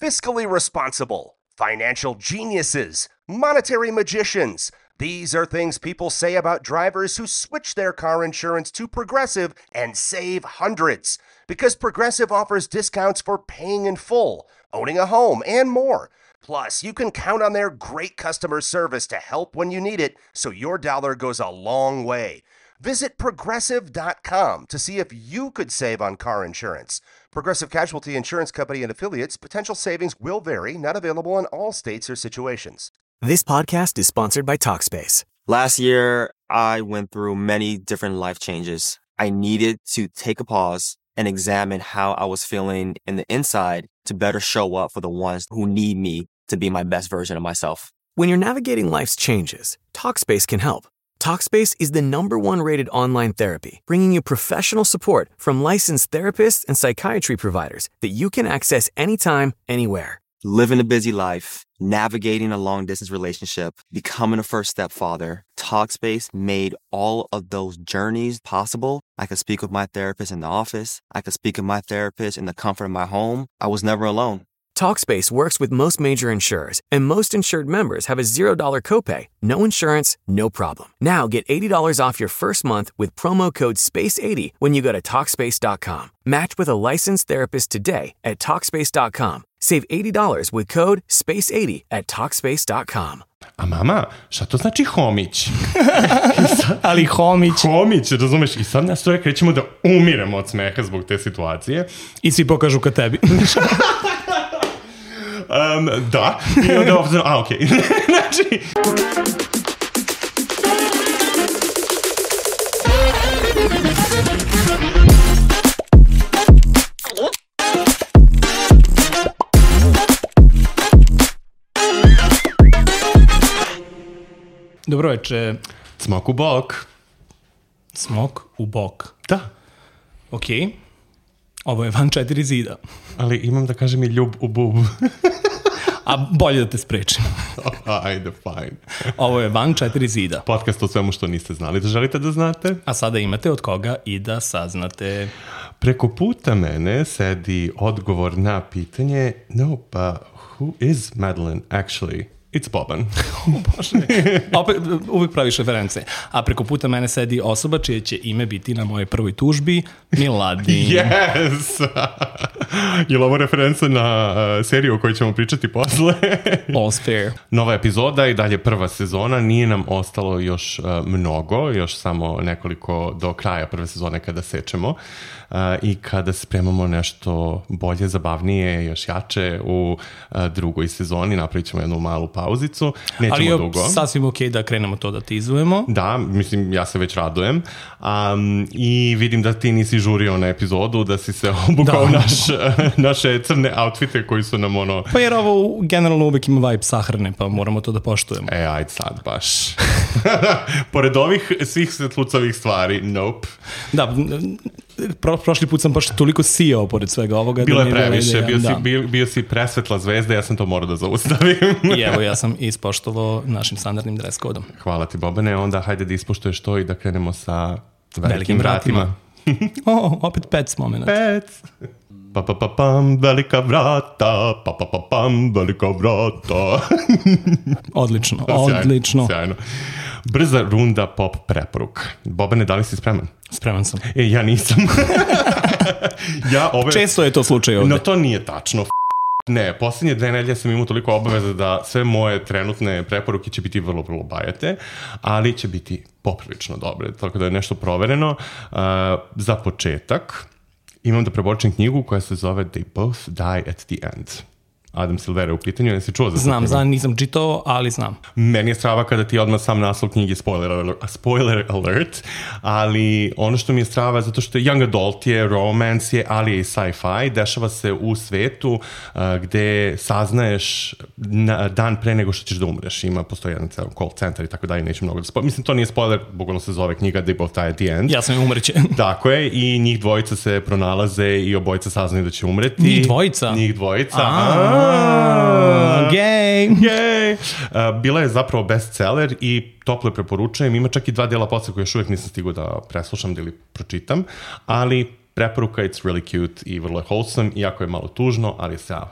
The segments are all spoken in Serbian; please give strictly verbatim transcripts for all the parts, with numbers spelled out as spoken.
fiscally responsible, financial geniuses, monetary magicians. These are things people say about drivers who switch their car insurance to Progressive and save hundreds. Because Progressive offers discounts for paying in full, owning a home, and more. Plus, you can count on their great customer service to help when you need it, so your dollar goes a long way. Visit Progressive dot com to see if you could save on car insurance. Progressive Casualty Insurance Company and Affiliates. Potential savings will vary. Not available in all states or situations. This podcast is sponsored by Talkspace. Last year, I went through many different life changes. I needed to take a pause and examine how I was feeling in the inside to better show up for the ones who need me to be my best version of myself. When you're navigating life's changes, Talkspace can help. Talkspace is the number one rated online therapy, bringing you professional support from licensed therapists and psychiatry providers that you can access anytime, anywhere. Living a busy life, navigating a long-distance relationship, becoming a first-step father, Talkspace made all of those journeys possible. I could speak with my therapist in the office. I could speak with my therapist in the comfort of my home. I was never alone. Talkspace works with most major insurers, and most insured members have a zero dollars copay. No insurance, no problem. Now get eighty dollars off your first month with promo code space eighty when you go to Talkspace dot com. Match with a licensed therapist today at Talkspace dot com. Save eighty dollars with code space eighty at Talkspace dot com. A mama, šta to znači homić? sad, Ali homić. Homić, razumeš? I sad nas troje krećemo da umiremo od smeha zbog te situacije. I svi pokažu ka tebi. Um, da, i onda ovdje, a okej, okay. Znači... Dobro veče. Smok u bok. Smok u bok. Da. Okej. Okay. Ovo je van četiri zida. Ali imam da kažem i ljub u bub. A bolje da te sprečim. Ajde, fajn. Ovo je van četiri zida. Podcast o svemu što niste znali da želite da znate. A sada imate od koga i da saznate. Preko puta mene sedi odgovor na pitanje, no, pa who is Madeline actually? It's Boban. O Bože. Opet, uvijek praviš reference. A preko puta mene sedi osoba čije će ime biti na mojoj prvoj tužbi, Miladin. Yes! Je li ovo referenca na uh, seriju o kojoj ćemo pričati posle? All's fair. Nova epizoda i dalje prva sezona. Nije nam ostalo još uh, mnogo, još samo nekoliko do kraja prve sezone kada sečemo. Uh, I kada spremamo nešto bolje, zabavnije, još jače u uh, drugoj sezoni. Napravit ćemo jednu malu pauzicu. Nećemo ali je dugo. Sasvim ok da krenemo to da tizujemo. Da, mislim, ja se već radujem. Um, I vidim da ti nisi žurio na epizodu, da si se obukao naš, naše crne outfite koji su nam ono... Pa jer ovo generalno uvek ima vibe sahrane, pa moramo to da poštujemo. E, ajde sad baš. Pored ovih svih svetlucavih stvari, nope. Da, pro, prošli put sam baš toliko sijao pored svega ovoga. Bilo da je previše, da, bio, da. si, bio, bio si presvetla zvezda, ja sam to morao da zaustavim. I evo, ja sam ispoštovao našim standardnim dress kodom. Hvala ti, Bobane, onda hajde da ispoštuješ to i da krenemo sa velikim, velikim vratima. O, opet pec moment. Pec. Pa pa pa pam, velika vrata, pa pa pa pam, velika vrata. Odlično, odlično. Sjajno. Brza runda pop preporuka. Bobane, da li si spreman? Spreman sam. E, ja nisam. ja ove... Često je to slučaj ovde. No, to nije tačno. Ne, posljednje dve nedelje sam imao toliko obaveza da sve moje trenutne preporuke će biti vrlo, vrlo bajate, ali će biti poprilično dobre, tako da je nešto provereno. Uh, za početak imam da preporučim knjigu koja se zove They Both Die at the End. Adam Silvera u pitanju, jesi čuo za to? Znam, znam, nisam čitao, ali znam. Meni je strava kada ti odmah sam naslov knjige spoiler, spoiler alert, ali ono što mi je strava zato što je young adult je, romance je, ali je i sci-fi, dešava se u svetu uh, gde saznaješ na, dan pre nego što ćeš da umreš. Ima, postoji jedan ceo call center i tako dalje, neću mnogo da spoiler. Mislim, to nije spoiler, bukvalno se zove knjiga They Both Die at the End. Ja sam i umreće. Tako je, i njih dvojica se pronalaze i obojica saznaju da će umreti. Njih dvojica? Njih dvojica, a gej, gej. Uh, bila je zapravo bestseller i toplo je preporučujem. Ima čak i dva dela posle koje još uvijek nisam stigao da preslušam ili pročitam, ali preporuka, it's really cute i vrlo je wholesome, iako je malo tužno, ali je sjajno.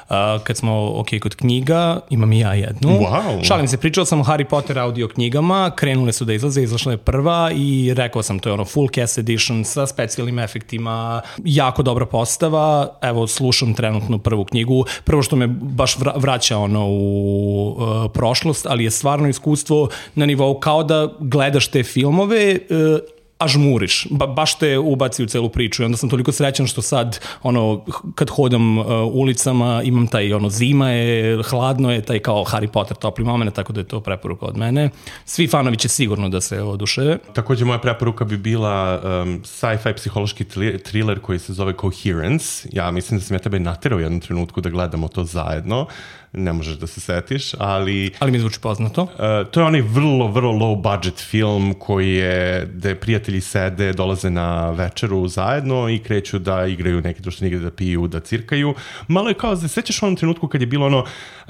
Uh, kad smo ok kod knjiga, imam i ja jednu. Wow. Šalim se, pričao sam o Harry Potter audio knjigama, krenule su da izlaze, izašla je prva i rekao sam, to je ono full cast edition sa specijalnim efektima, jako dobra postava. Evo, slušam trenutno prvu knjigu. Prvo što me baš vraća ono u uh, prošlost, ali je stvarno iskustvo na nivou kao da gledaš te filmove uh, a žmuriš, ba, baš te ubaci u celu priču i onda sam toliko srećan što sad ono, kad hodam uh, ulicama imam taj ono, zima je, hladno je, taj kao Harry Potter topli moment, tako da je to preporuka od mene. Svi fanovi će sigurno da se oduševe. Također moja preporuka bi bila um, sci-fi psihološki thriller koji se zove Coherence. Ja mislim da sam ja tebe naterao u jednom trenutku da gledamo to zajedno. Ne možeš da se setiš, ali... Ali mi zvuči poznato. Uh, to je onaj vrlo, vrlo low budget film koji je, gde prijatelji sede, dolaze na večeru zajedno i kreću da igraju neke društvene igre, da piju, da cirkaju. Malo je kao, sećaš u onom trenutku kad je bilo ono,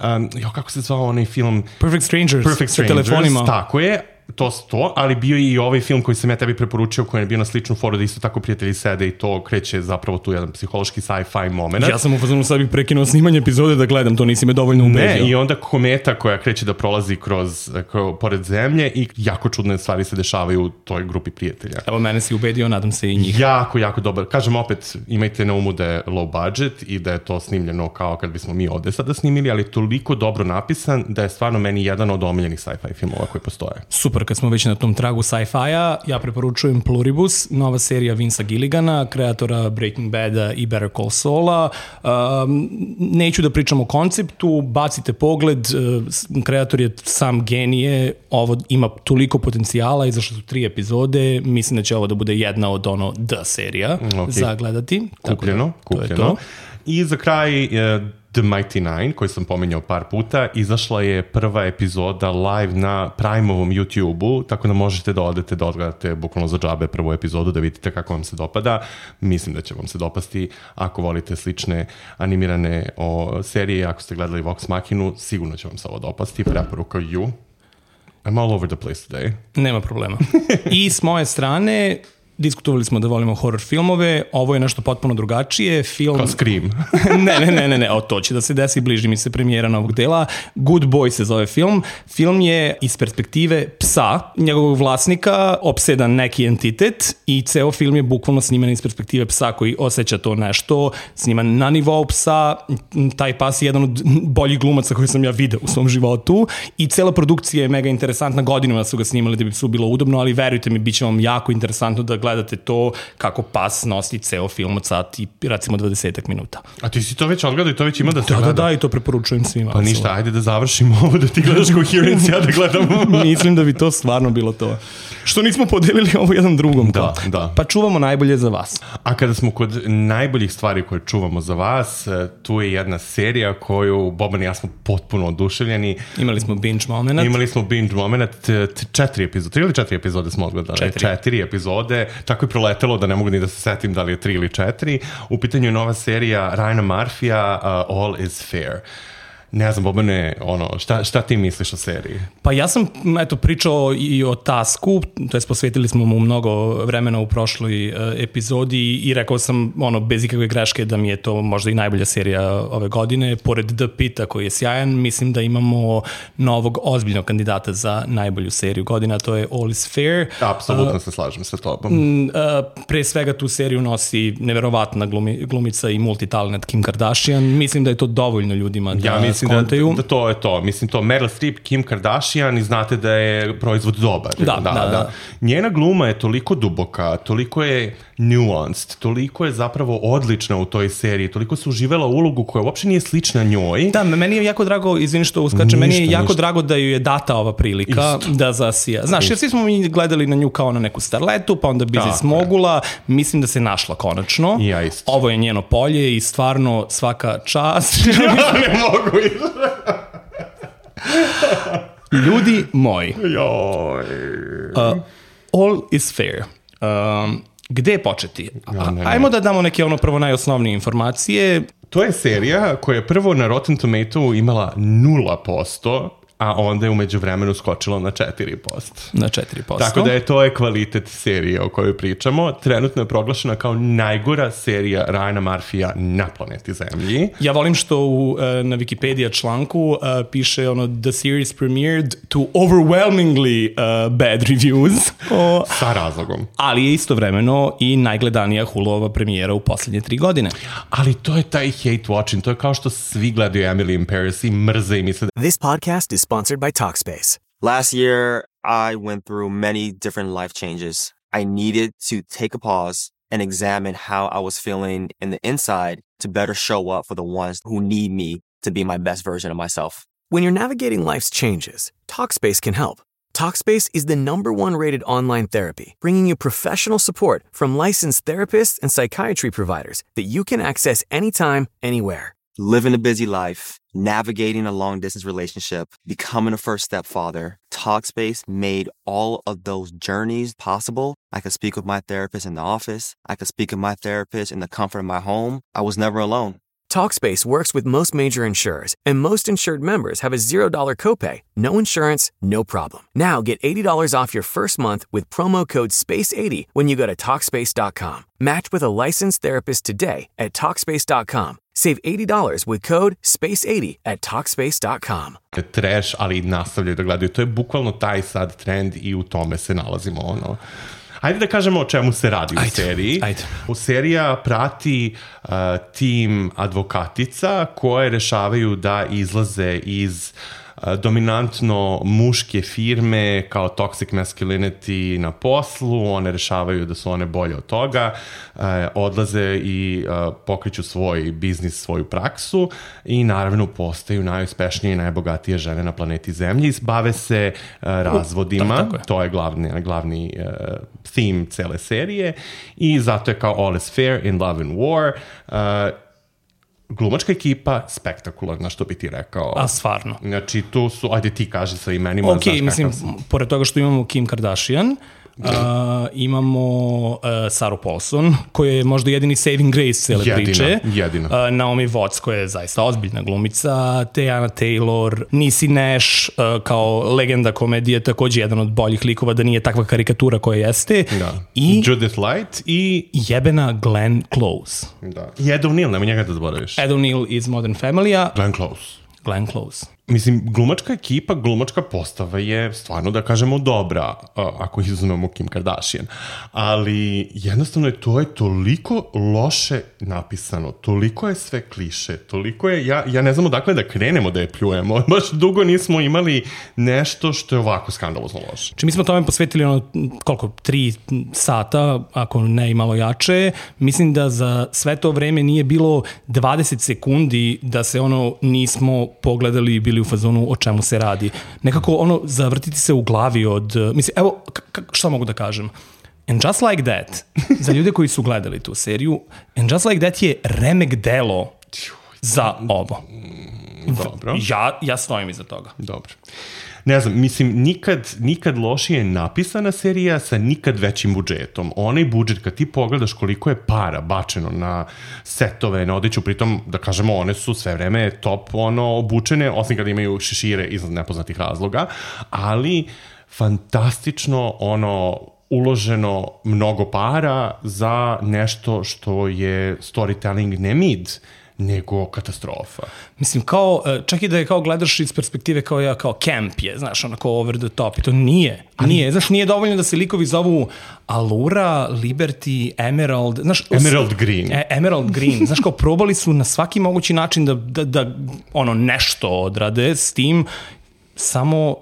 um, jo, kako se zvao onaj film? Perfect Strangers. Perfect Strangers, sa telefonima. Tako je. To to, ali bio i ovaj film koji sam ja tebi preporučio, koji je bio na sličnu foru da isto tako prijatelji sede i to kreće zapravo tu jedan psihološki sci-fi moment. Ja sam u fazonu sad bih prekinuo snimanje epizode da gledam, to nisi me dovoljno ubedio. Ne, i onda kometa koja kreće da prolazi kroz, kroz pored zemlje i jako čudne stvari se dešavaju u toj grupi prijatelja. Evo, mene si ubedio, nadam se i njih. Jako, jako dobar. Kažem opet, imajte na umu da je low budget i da je to snimljeno kao kad bismo mi ovde sada snimili, ali toliko dobro napisan da je stvarno meni jedan od omiljenih sci-fi filmova koji postoje. Super, kad smo već na tom tragu sci-fi-a, ja preporučujem Pluribus, nova serija Vincea Gilligana, kreatora Breaking Bada i Better Call Saula. Um, neću da pričam o konceptu, bacite pogled, uh, kreator je sam genije, ovo ima toliko potencijala, izašle su tri epizode, mislim da će ovo da bude jedna od ono The serija okay. za gledati. Kupljeno, da, kupljeno. I za kraj uh, The Mighty Nine, koji sam pominjao par puta, izašla je prva epizoda live na Prime-ovom YouTube-u, tako da možete da odete da odgledate bukvalno za džabe prvu epizodu, da vidite kako vam se dopada. Mislim da će vam se dopasti ako volite slične animirane o, serije, ako ste gledali Vox Machinu, sigurno će vam se ovo dopasti. Preporuka you. I'm all over the place today. Nema problema. I s moje strane... Diskutovali smo da volimo horror filmove, ovo je nešto potpuno drugačije. Film... Kao Scream. ne, ne, ne, ne, ne, o, to će da se desi, bliži mi se premijera novog dela. Good Boy se zove film. Film je iz perspektive psa, njegovog vlasnika, opsedan neki entitet i ceo film je bukvalno sniman iz perspektive psa koji osjeća to nešto, sniman na nivou psa. Taj pas je jedan od boljih glumaca koje sam ja video u svom životu i cela produkcija je mega interesantna. Godinama su ga snimali da bi su bilo udobno, ali verujte mi, bit će vam jako interesantno da gledate to kako pas nosi ceo film od sat i recimo dvadesetak minuta. A ti si to već odgledao i to već ima da se da, gleda? Da, da, i to preporučujem svima. Pa ništa, ajde da završimo ovo, da ti gledaš Coherence, ja da gledam. Mislim da bi to stvarno bilo to. Što nismo podelili ovo jedan drugom. Da, da. Pa čuvamo najbolje za vas. A kada smo kod najboljih stvari koje čuvamo za vas, tu je jedna serija koju Boban i ja smo potpuno oduševljeni. Imali smo binge moment. Imali smo binge moment, četiri epizode, tri ili četiri epizode smo odgledali? Četiri. Četiri epizode, tako je proletelo da ne mogu ni da se setim da li je tri ili četiri. U pitanju je nova serija Ryana Murphy-a, uh, All is Fair. Ne znam, Bobane, ono, šta, šta ti misliš o seriji? Pa ja sam, eto, pričao i o Tasku, to je posvetili smo mu mnogo vremena u prošloj uh, epizodi i rekao sam, ono, bez ikakve greške da mi je to možda i najbolja serija ove godine. Pored The Pita koji je sjajan, mislim da imamo novog ozbiljnog kandidata za najbolju seriju godina, to je All is Fair. Apsolutno uh, se slažem sa tobom. Uh, pre svega tu seriju nosi neverovatna glumi, glumica i multitalent Kim Kardashian. Mislim da je to dovoljno ljudima da... Ja mislim Da, da to je to. Mislim, to Meryl Streep, Kim Kardashian i znate da je proizvod dobar. Da, da, da. da. Njena gluma je toliko duboka, toliko je nuanced, toliko je zapravo odlična u toj seriji, toliko se uživela u ulogu koja uopšte nije slična njoj. Da, meni je jako drago, izvini što uskače, ništa, meni je jako ništa. drago da ju je data ova prilika Isto. da zasija. Znaš, Isto. jer svi smo mi gledali na nju kao na neku starletu, pa onda Bizis Mogula, mislim da se našla konačno. Ja isto. Ovo je njeno polje i stvarno svaka čast. Ja ne mogu Ljudi moji. Joj. Uh, all is fair. Um, gde početi? Ja, ne, ne. Ajmo da damo neke ono prvo najosnovnije informacije. To je serija koja je prvo na Rotten Tomatoes imala nula posto a onda je umeđu vremenu skočilo na četiri posto. Na četiri posto. Tako da je to je kvalitet serije o kojoj pričamo. Trenutno je proglašena kao najgora serija Ryana Murphyja na planeti Zemlji. Ja volim što u, na Wikipedia članku uh, piše ono the series premiered to overwhelmingly uh, bad reviews. O, Sa razlogom. Ali je istovremeno i najgledanija Huluova premijera u posljednje tri godine. Ali to je taj hate watching. To je kao što svi gledaju Emily in Paris i mrze i misle. This podcast is sponsored by Talkspace. Last year, I went through many different life changes. I needed to take a pause and examine how I was feeling in the inside to better show up for the ones who need me to be my best version of myself. When you're navigating life's changes, Talkspace can help. Talkspace is the number one rated online therapy, bringing you professional support from licensed therapists and psychiatry providers that you can access anytime, anywhere. Living a busy life, navigating a long-distance relationship, becoming a first-step father, Talkspace made all of those journeys possible. I could speak with my therapist in the office. I could speak with my therapist in the comfort of my home. I was never alone. Talkspace works with most major insurers, and most insured members have a zero dollar copay. No insurance, no problem. Now get eighty dollars off your first month with promo code space eighty when you go to Talkspace dot com. Match with a licensed therapist today at Talkspace dot com. Save eighty dollars with code space eighty at Talkspace dot com. Trash, ali nastavljaju da gledaju. To je bukvalno taj sad trend i u tome se nalazimo, ono. Ajde da kažemo o čemu se radi u ajde, seriji. Ajde. U serija prati uh, tim advokatica koje rešavaju da izlaze iz uh, dominantno muške firme kao toxic masculinity na poslu. One rešavaju da su one bolje od toga. Uh, odlaze i uh, pokreću svoj biznis, svoju praksu i naravno postaju najuspešnije i najbogatije žene na planeti Zemlji. Bave se uh, razvodima. tako, tako je. To je glavni, glavni uh, theme cele serije i zato je kao all is fair in love and war. Uh, glumačka ekipa spektakularna, što bi ti rekao. A stvarno. Znači tu su, ajde ti kaži sa imenima. Ok, mislim, pored toga što imamo Kim Kardashian, Uh, imamo uh, Saru Paulson, koja je možda jedini saving grace cele jedina, priče. Jedina. Uh, Naomi Watts, koja je zaista ozbiljna glumica, Teyana Taylor, Niecy Nash, uh, kao legenda komedije, takođe jedan od boljih likova, da nije takva karikatura koja jeste. Da. I Judith Light i jebena Glenn Close. Da. I Ed O'Neill, nema njega da zaboraviš. Ed O'Neill iz Modern Family-a. Glenn Close. Glenn Close. Mislim, glumačka ekipa, glumačka postava je stvarno, da kažemo, dobra, ako izuzmemo Kim Kardashian. Ali jednostavno je to je toliko loše napisano, toliko je sve kliše, toliko je, ja, ja ne znam odakle da krenemo da je pljujemo. Baš dugo nismo imali nešto što je ovako skandalozno loše. Či mi smo tome posvetili ono, koliko, tri sata, ako ne i malo jače. Mislim da za sve to vreme nije bilo dvadeset sekundi da se ono nismo pogledali i bili u fazonu o čemu se radi. Nekako ono zavrtiti se u glavi od... Mislim, evo, šta mogu da kažem? And Just Like That, za ljude koji su gledali tu seriju, And Just Like That je remek delo za ovo. Dobro. Ja, ja stojim iza toga. Dobro. Ne znam, mislim, nikad, nikad lošije napisana serija sa nikad većim budžetom. Onaj budžet, kad ti pogledaš koliko je para bačeno na setove, na odeću, pritom, da kažemo, one su sve vreme top ono, obučene, osim kada imaju šešire iz nepoznatih razloga, ali fantastično ono uloženo mnogo para za nešto što je storytelling ne mid, nego katastrofa. Mislim, kao, čak i da je kao gledaš iz perspektive kao ja, kao camp je, znaš, onako over the top, i to nije. Nije, znaš, nije dovoljno da se likovi zovu Allura, Liberty, Emerald, znaš... Emerald Green. E, Emerald Green, znaš, kao probali su na svaki mogući način da, da, da ono, nešto odrade s tim, samo...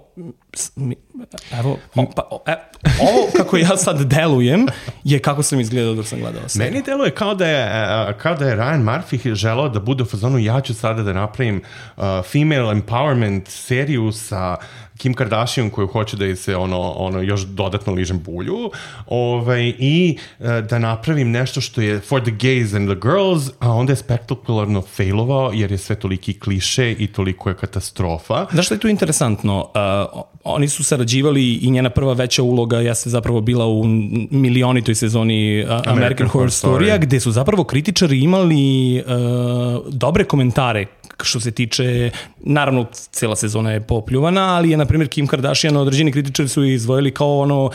Evo, pa, e, ovo kako ja sad delujem je kako sam izgledao dok sam gledao seriju. Meni deluje kao da je, kao da je Ryan Murphy želeo da bude u fazonu ja ću sada da napravim uh, female empowerment seriju sa Kim Kardashian koju hoće da je se ono, ono još dodatno ližem bulju ovaj, i uh, da napravim nešto što je for the gays and the girls, a onda je spektakularno failovao jer je sve toliki kliše i toliko je katastrofa. Znaš što je tu interesantno? Uh, oni su sarađivali i njena prva veća uloga jeste zapravo bila u milionitoj sezoni American, American Horror Storya, gde su zapravo kritičari imali uh, dobre komentare što se tiče, naravno cela sezona je popljuvana, ali je na primjer Kim Kardashian, određeni kritičari su izdvojili kao ono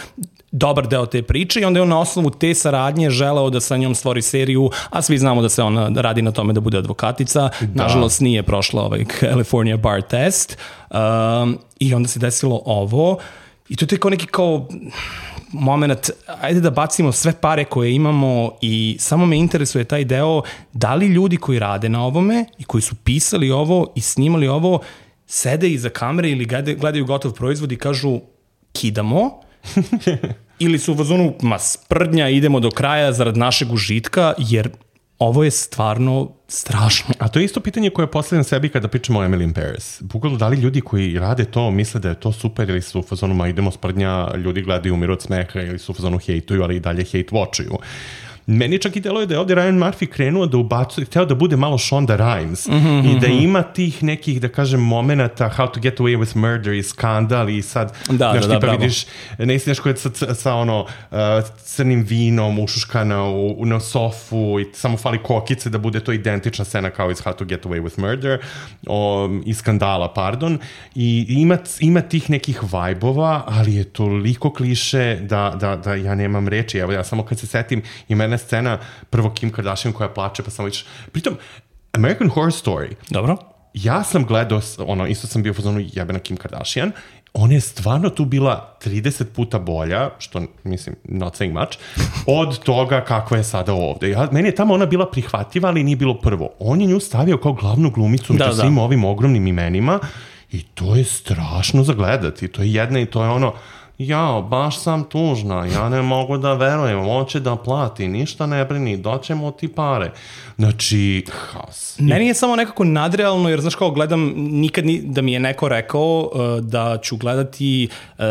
dobar deo te priče i onda je on na osnovu te saradnje želeo da sa njom stvori seriju, a svi znamo da se ona radi na tome da bude advokatica. Da. Nažalost nije prošla ovaj California bar test um, i onda se desilo ovo i to je kao neki kao moment, ajde da bacimo sve pare koje imamo i samo me interesuje taj deo da li ljudi koji rade na ovome i koji su pisali ovo i snimali ovo sede iza kamere ili gledaju gotov proizvod i kažu kidamo ili su u fazonu ma sprdnja, idemo do kraja zarad našeg užitka, jer ovo je stvarno strašno. A to je isto pitanje koje postavljam sebi kada pričamo o Emily in Paris. Bukvalno, da li ljudi koji rade to misle da je to super ili su u fazonu ma idemo sprdnja, ljudi gledaju umiru od smeha ili su u fazonu hejtuju, ali i dalje hejt watchuju. Meni čak i deluje da je ovdje Ryan Murphy krenuo da ubacuje, hteo da bude malo Shonda Rhimes mm-hmm. i da ima tih nekih, da kažem, momenata How to get away with murder i skandal i sad, da, znaš, da, tipa da, vidiš, ne istineš koja je sa, sa ono, uh, crnim vinom ušuškana u, na sofu i samo fali kokice da bude to identična scena kao iz How to get away with murder o, i skandala, pardon, i ima, ima tih nekih vajbova, ali je toliko kliše da, da, da ja nemam reči. Evo, ja samo kad se setim, ima jedna scena, prvo Kim Kardashian koja plače, pa samo vidiš. Pritom, American Horror Story. Dobro. Ja sam gledao, ono, isto sam bio u fazonu jebena Kim Kardashian, ona je stvarno tu bila trideset puta bolja, što, mislim, not saying much, od toga kakva je sada ovde. Ja, meni je tamo ona bila prihvatljiva, ali nije bilo prvo. On je nju stavio kao glavnu glumicu među da, svim da. ovim ogromnim imenima i to je strašno za gledati. To je jedna i to je ono, jao, baš sam tužna, ja ne mogu da verujem, on će da plati, ništa ne brini, doćemo ti pare. Znači, has. Meni je samo nekako nadrealno, jer znaš kao gledam, nikad ni, da mi je neko rekao uh, da ću gledati uh,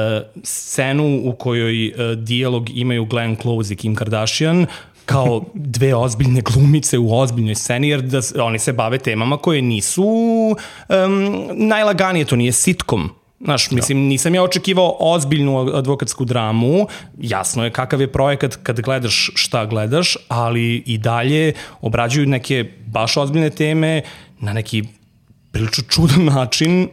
scenu u kojoj uh, dijalog imaju Glenn Close i Kim Kardashian, kao dve ozbiljne glumice u ozbiljnoj sceni, jer da oni se bave temama koje nisu um, najlaganije, to nije sitcom. Znaš, mislim, nisam ja očekivao ozbiljnu advokatsku dramu, jasno je kakav je projekat kad gledaš šta gledaš, ali i dalje obrađuju neke baš ozbiljne teme na neki prilično čudan način.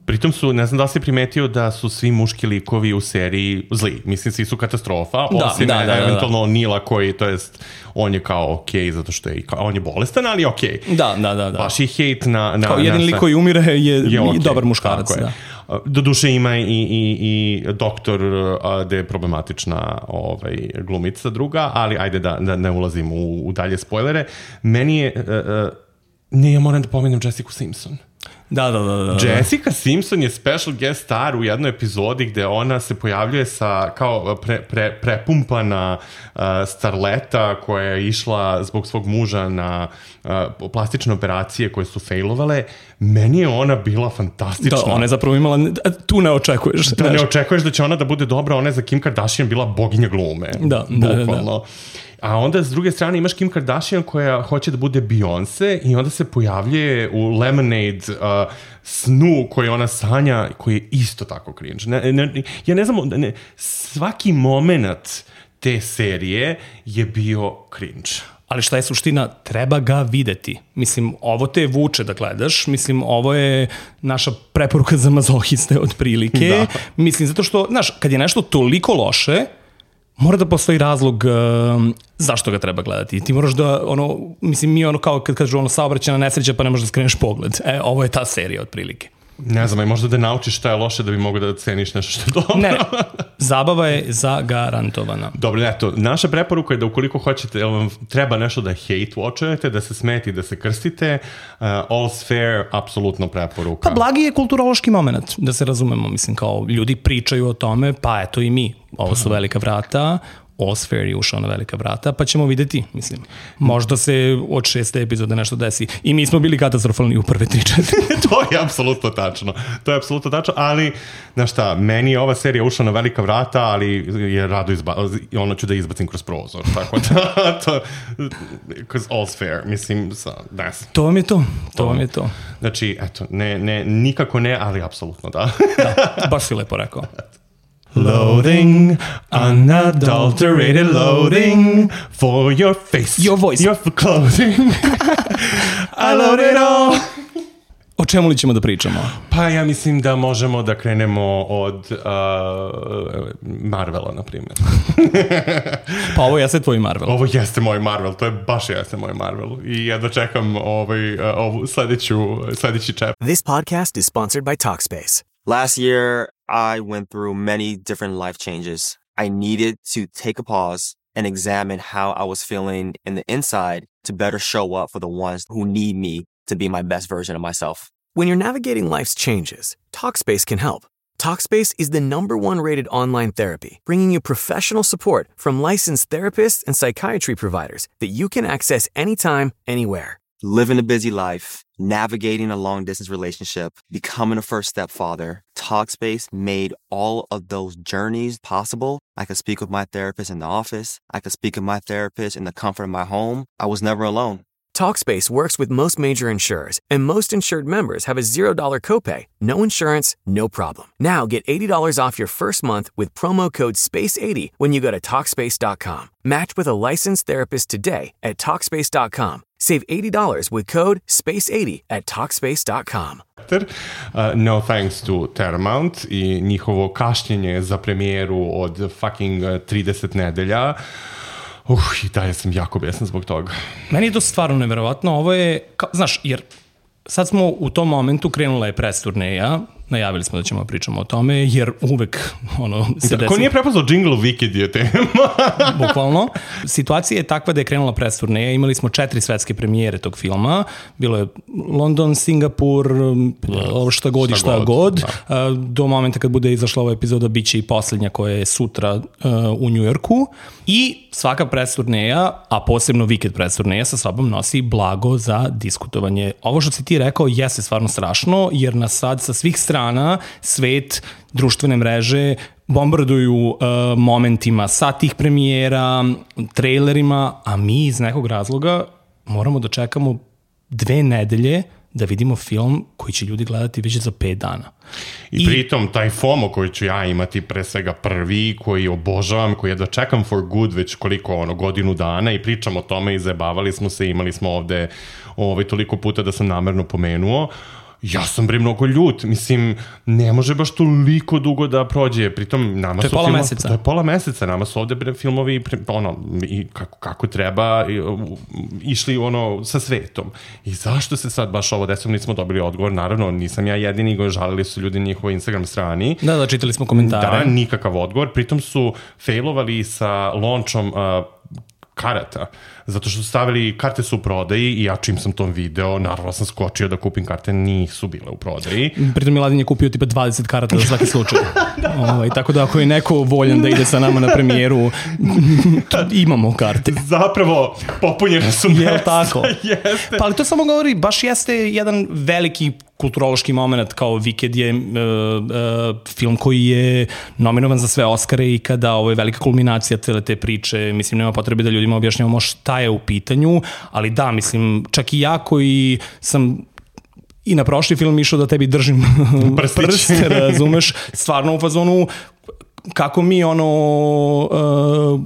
Pritom su, ne znam da li si primetio da su svi muški likovi u seriji zli. Mislim, svi su katastrofa, da, osim da, da, da, eventualno da. Nila koji, to jest, on je kao okej, okay, zato što je, kao, on je bolestan, ali okej. Okay. Da, da, da, da. Baš i hejt na... na kao jedan lik koji umire je, je okay, dobar muškarac, da. Doduše ima i, i, i doktor gde je problematična ovaj, glumica druga, ali ajde da, da ne ulazim u, u dalje spoilere. Meni je... Uh, uh, ne, ja moram da pomenem Jessica Simpson. Da, da, da, da. Jessica Simpson je special guest star u jednoj epizodi gde ona se pojavljuje sa kao pre, pre, prepumpana uh, starleta koja je išla zbog svog muža na uh, plastične operacije koje su failovale. Meni je ona bila fantastična. Da, ona je zapravo imala, tu ne očekuješ. Da, ne očekuješ da će ona da bude dobra, ona je za Kim Kardashian bila boginja glume. Da, da, da, da. A onda s druge strane imaš Kim Kardashian koja hoće da bude Beyoncé i onda se pojavljuje u Lemonade uh, snu koji ona sanja, koji je isto tako cringe. Ne, ne, ja ne znam, ne, svaki moment te serije je bio cringe. Ali šta je suština? Treba ga videti. Mislim, ovo te vuče da gledaš. Mislim, ovo je naša preporuka za mazohiste od prilike. Da. Mislim, zato što, znaš, kad je nešto toliko loše, mora da postoji razlog uh, zašto ga treba gledati. Ti moraš da, ono, mislim, mi ono kao kad kažu ono saobraćajna nesreća pa ne možeš da skreneš pogled. E, ovo je ta serija otprilike. Ne znam, i možda da naučiš šta je loše da bi mogo da ceniš nešto što je dobro. Ne, zabava je zagarantovana. Dobro, eto, naša preporuka je da ukoliko hoćete, jel vam treba nešto da hate watchujete, da se smeti, da se krstite, uh, all's fair, apsolutno preporuka. Pa blagi je kulturološki moment, da se razumemo, mislim, kao ljudi pričaju o tome, pa eto i mi, ovo su velika vrata, All's Fair je ušao na velika vrata, pa ćemo videti, mislim. Možda se od šeste epizode nešto desi. I mi smo bili katastrofalni u prve tri četiri. To je apsolutno tačno. To je apsolutno tačno, ali, znaš šta, meni je ova serija ušla na velika vrata, ali je rado izba... ono ću da izbacim kroz prozor, tako da, to, because all's fair, mislim, sa, ne znam. To vam je to, to vam je to. Znači, eto, ne, ne, nikako ne, ali apsolutno da. Da, baš si lepo rekao. Loading, unadulterated loading for your face, your voice, your clothing. I load it all. O čemu li ćemo da pričamo? Pa ja mislim da možemo da krenemo od uh, Marvela, na primjer. Pa ovo jeste tvoj Marvel. Ovo jeste moj Marvel, to je baš jeste moj Marvel. I ja dočekam ovaj, uh, ovu sledeću, sledeći čep. This podcast is sponsored by Talkspace. Last year, I went through many different life changes. I needed to take a pause and examine how I was feeling in the inside to better show up for the ones who need me to be my best version of myself. When you're navigating life's changes, Talkspace can help. Talkspace is the number one rated online therapy, bringing you professional support from licensed therapists and psychiatry providers that you can access anytime, anywhere. Living a busy life, navigating a long-distance relationship, becoming a first-step father, Talkspace made all of those journeys possible. I could speak with my therapist in the office. I could speak with my therapist in the comfort of my home. I was never alone. Talkspace works with most major insurers, and most insured members have a zero dollar copay. No insurance, no problem. Now get eighty dollars off your first month with promo code space eighty when you go to Talkspace dot com. Match with a licensed therapist today at Talkspace dot com. Save eighty dollars with code space eighty at Talkspace dot com. Uh, no thanks to Paramount i njihovo kašnjenje za premijeru od fucking trideset nedelja. Uh, i dalje sam jako besan zbog toga. Meni je to stvarno neverovatno. Ovo je, kao, znaš, jer sad smo u tom momentu, krenula je press turneja, najavili smo da ćemo pričamo o tome, jer uvek ono, se desi... Ko nije prepoznao jingle Wicked je tema. Bukvalno. Situacija je takva da je krenula press turneja, imali smo četiri svetske premijere tog filma, bilo je London, Singapur, ovo šta god i šta god. Da. Do momenta kad bude izašla ova epizoda, bit će i posljednja koja je sutra uh, u Njujorku. I svaka press turneja, a posebno Wicked press turneja, sa sobom nosi blago za diskutovanje. Ovo što si ti rekao jeste stvarno strašno, jer nas sad sa svih strana svet, društvene mreže bombarduju uh, momentima sa tih premijera, trailerima, a mi iz nekog razloga moramo da čekamo dve nedelje da vidimo film koji će ljudi gledati već za pet dana. I, I pritom taj FOMO koji ću ja imati pre svega prvi, koji obožavam, koji jedva čekam for good već koliko ono godinu dana i pričam o tome i zajebavali smo se, imali smo ovde ovaj, toliko puta da sam namerno pomenuo. Ja sam bre mnogo ljut, mislim, ne može baš toliko dugo da prođe, pritom nama to su... To je pola filmo, meseca. To je pola meseca, nama su ovde bre filmovi, ono, i kako, kako treba, i, išli ono sa svetom. I zašto se sad baš ovo desilo, nismo dobili odgovor, naravno, nisam ja jedini, žalili su ljudi na njihovoj Instagram strani. Da, da, čitali smo komentare. Da, nikakav odgovor, pritom su failovali sa launchom uh, karata, zato što su stavili, karte su u prodaji i ja čim sam to video, naravno sam skočio da kupim karte, nisu bile u prodaji. Pritom Miladin je kupio tipa dvadeset karata za svaki slučaj. Ovaj, tako da ako je neko voljan da ide sa nama na premijeru, imamo karte. Zapravo, popunjene su mesta. Jel tako? Jeste. Pa ali to samo govori, baš jeste jedan veliki kulturološki moment, kao Wicked je uh, uh, film koji je nominovan za sve Oscare i kada ovo je velika kulminacija cele te priče, mislim nema potrebe da ljudima objašnjavamo šta je u pitanju, ali da, mislim, čak i ja koji sam i na prošli film išao da tebi držim prst, razumeš, stvarno u fazonu kako mi ono uh,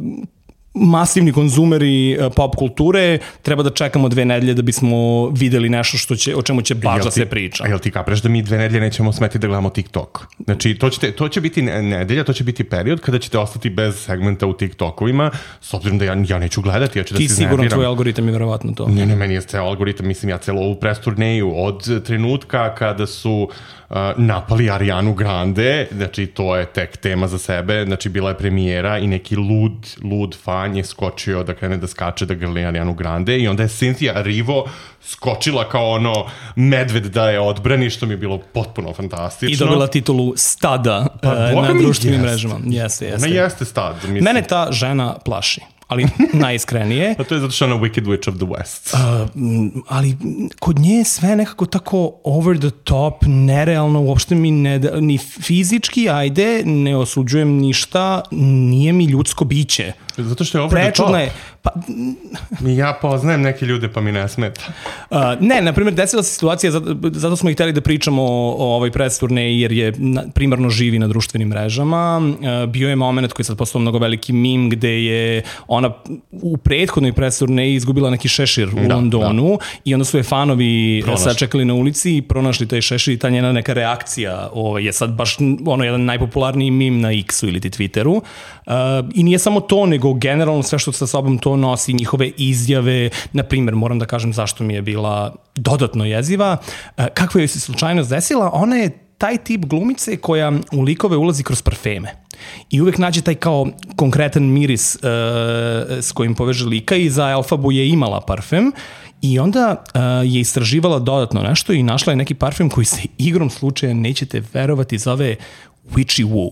masivni konzumeri pop kulture, treba da čekamo dve nedelje da bismo videli nešto što će, o čemu će baš da se priča. A jel ti kapreš da mi dve nedelje nećemo smeti da gledamo TikTok? Znači, to, ćete, to će biti nedelja, to će biti period kada ćete ostati bez segmenta u TikTokovima, s obzirom da ja, ja neću gledati, ja ću da ti se sigurno iznerviram. Tvoj algoritam je verovatno to. Ne, ne, meni je ceo algoritam, mislim, ja celo ovu press turneju od trenutka kada su uh, napali Arianu Grande, znači to je tek tema za sebe, znači bila je premijera i neki lud, lud fan Kanye skočio da krene da skače, da grli Arianu Grande i onda je Cynthia Erivo skočila kao ono medved da je odbrani, što mi je bilo potpuno fantastično. I dobila titulu stada pa, uh, na društvenim mrežama. Jeste, jeste. Ona jeste stad. Mislim. Mene ta žena plaši. Ali najiskrenije. A to je zato što je ona Wicked Witch of the West. Uh, ali kod nje je sve nekako tako over the top, nerealno, uopšte mi ne, ni fizički, ajde, ne osuđujem ništa, nije mi ljudsko biće. Zato što je over Prečudna the top. Je, pa, ja poznajem neke ljude pa mi ne smeta. Uh, ne, na primjer, desila se situacija, zato, zato smo i hteli da pričamo o, o ovoj press turneji, jer je na, primarno živi na društvenim mrežama. Uh, bio je moment koji je sad postao mnogo veliki meme, gde je ona u prethodnoj press turneji izgubila neki šešir u da, Londonu da. I onda su je fanovi pronašli. Sačekali na ulici i pronašli taj šešir i ta njena neka reakcija o, je sad baš ono jedan najpopularniji meme na X-u ili ti Twitteru. Uh, I nije samo to, nego generalno sve što sa sobom to nosi, njihove izjave, na primjer, moram da kažem zašto mi je bila dodatno jeziva. Uh, kakva joj se slučajnost desila? Ona je taj tip glumice koja u likove ulazi kroz parfeme. I uvek nađe taj kao konkretan miris uh, s kojim poveže lika i za Elfabu je imala parfem i onda uh, je istraživala dodatno nešto i našla je neki parfem koji se igrom slučaja, nećete verovati, zove Witchy Woo.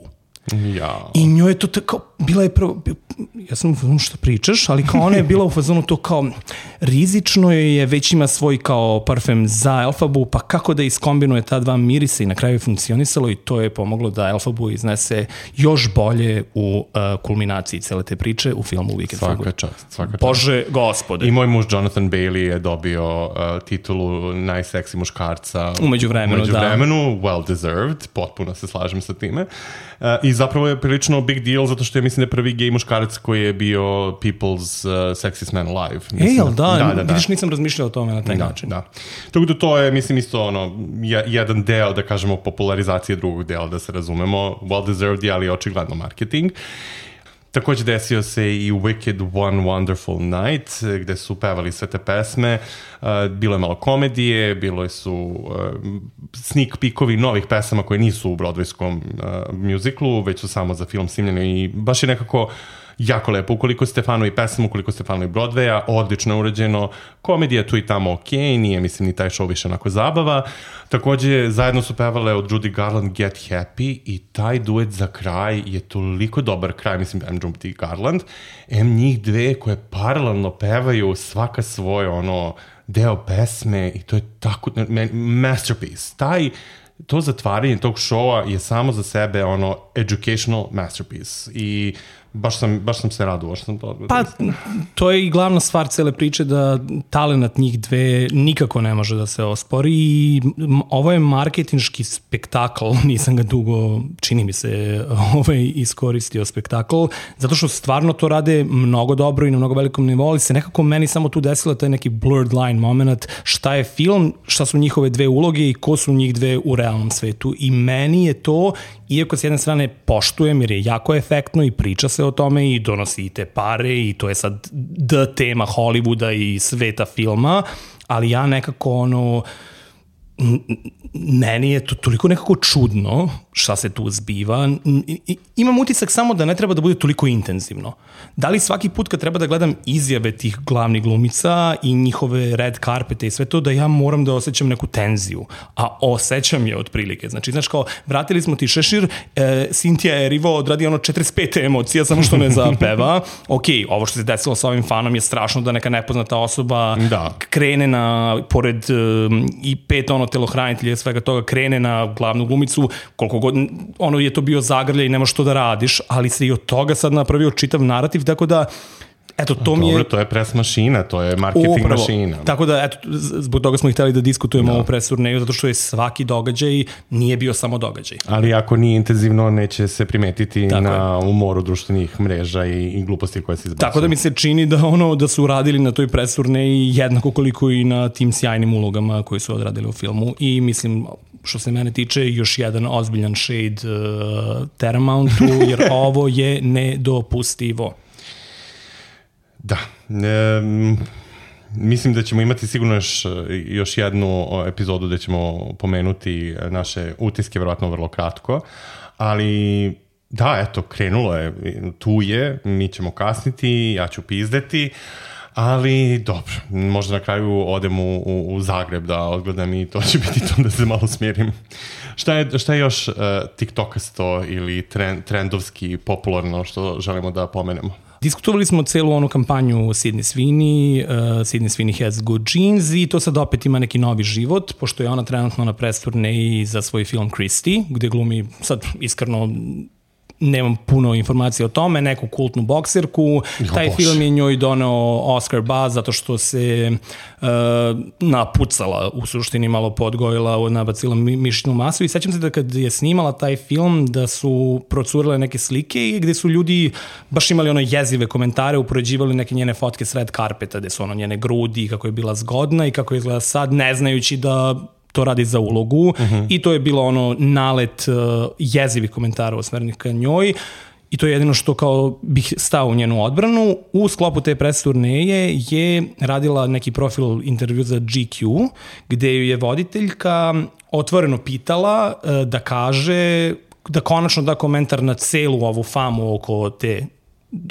Ja. I njoj je to tako, bila je prvo, ja sam u fazonu što pričaš, ali kao ona je bila u fazonu to kao rizično je, već ima svoj kao parfem za Elfabu, pa kako da iskombinuje ta dva mirisa i na kraju je funkcionisalo i to je pomoglo da Elfabu iznese još bolje u uh, kulminaciji cele te priče u filmu Wicked for Good. Svaka čast, svaka čast. Bože gospode. I moj muž Jonathan Bailey je dobio uh, titulu najseksi muškarca umeđu vremenu, umeđu vremenu, da. Well deserved, potpuno se slažem sa time. Uh, I zapravo je prilično big deal zato što je, mislim, da je prvi gej muškarac koji je bio People's uh, Sexiest Man Alive. Mislim, e, jel da? da, da, da. Vidiš, nisam razmišljao o tome na taj da, način. Da. Tako da to je, mislim, isto ono, jedan deo, da kažemo, popularizacije drugog dela, da se razumemo. Well deserved je, ali očigledno marketing. Takođe desio se i Wicked One Wonderful Night, gde su pevali sve te pesme. Uh, bilo je malo komedije, bilo su uh, sneak peekovi novih pesama koje nisu u broadwayskom uh, musiclu, već su samo za film snimljene i baš je nekako jako lepo. Ukoliko ste fanovi pesama, ukoliko ste fanovi Broadwaya, odlično urađeno. Komedija tu i tamo ok, nije, mislim, ni taj show više onako zabava. Takođe, zajedno su pevale od Judy Garland Get Happy i taj duet za kraj je toliko dobar kraj, mislim, M. Judy Garland, M. njih dve koje paralelno pevaju svaka svoj ono deo pesme i to je tako masterpiece. Taj to zatvaranje tog showa je samo za sebe ono educational masterpiece i baš sam, baš sam se radovao što sam to odgledao. Pa, to je i glavna stvar cele priče da talenat njih dve nikako ne može da se ospori i ovo je marketinški spektakl, nisam ga dugo, čini mi se, ovaj iskoristio spektakl, zato što stvarno to rade mnogo dobro i na mnogo velikom nivou, ali se nekako meni samo tu desilo taj neki blurred line moment, šta je film, šta su njihove dve uloge i ko su njih dve u realnom svetu i meni je to, iako s jedne strane poštujem jer je jako efektno i priča se o tome i donosi i te pare i to je sad d tema Hollywooda i sveta filma, ali ja nekako ono, meni je to toliko nekako čudno šta se tu zbiva. Imam utisak samo da ne treba da bude toliko intenzivno. Da li svaki put kad treba da gledam izjave tih glavnih glumica i njihove red carpete i sve to, da ja moram da osjećam neku tenziju, a osjećam je otprilike. Znači, znaš kao, vratili smo ti šešir, e, Cynthia Erivo odradi ono četrdeset pet emocija, samo što ne zapeva. Ok, ovo što se desilo sa ovim fanom je strašno da neka nepoznata osoba da. krene na, pored um, i pet ono telohranitelja svega toga, krene na glavnu glumicu, koliko god, ono je to bio zagrljaj i nemaš što da radiš, ali se i od toga sad napravio čitav narativ, tako da eto, to mi je... Dobro, to je press mašina, to je marketing Upravo. mašina. Tako da, eto, zbog toga smo i hteli da diskutujemo da. ovu press turneju, zato što je svaki događaj nije bio samo događaj. Ali ako nije intenzivno, neće se primetiti tako na je. umoru društvenih mreža i, i gluposti koje se izbacuju. Tako da mi se čini da ono da su radili na toj press turneji jednako koliko i na tim sjajnim ulogama koji su odradili u filmu i mislim, što se mene tiče, još jedan ozbiljan shade uh, Terramountu, jer ovo je nedopustivo. Da, e, mislim da ćemo imati sigurno još, još jednu epizodu gde ćemo pomenuti naše utiske, verovatno vrlo kratko, ali Da, eto, krenulo je, tu je, mi ćemo kasniti, ja ću pizdeti, ali dobro, možda na kraju odem u, u, u Zagreb da odgledam i to će biti to da se malo smirim. Šta je, šta je još uh, tiktokasto ili trend, trendovski popularno što želimo da pomenemo? Diskutovali smo celu onu kampanju Sydney Sweeney, uh, Sydney Sweeney has good genes i to sad opet ima neki novi život, pošto je ona trenutno na press turneji za svoj film Christie, gde glumi, sad iskreno nemam puno informacija o tome, neku kultnu bokserku. Jo, Taj bož. film je njoj doneo Oscar buzz zato što se uh, napucala, u suštini malo podgojila, nabacila mišićnu masu i sećam se da kad je snimala taj film da su procurile neke slike i gde su ljudi baš imali ono jezive komentare, upoređivali neke njene fotke s red carpeta, gde su ono njene grudi, kako je bila zgodna i kako je izgleda sad, ne znajući da to radi za ulogu uh-huh. i to je bilo ono nalet uh, jezivih komentara osmerenih ka njoj i to je jedino što kao bih stao u njenu odbranu. U sklopu te press turneje je radila neki profil intervju za G Q gde ju je voditeljka otvoreno pitala uh, da kaže, da konačno da komentar na celu ovu famu oko te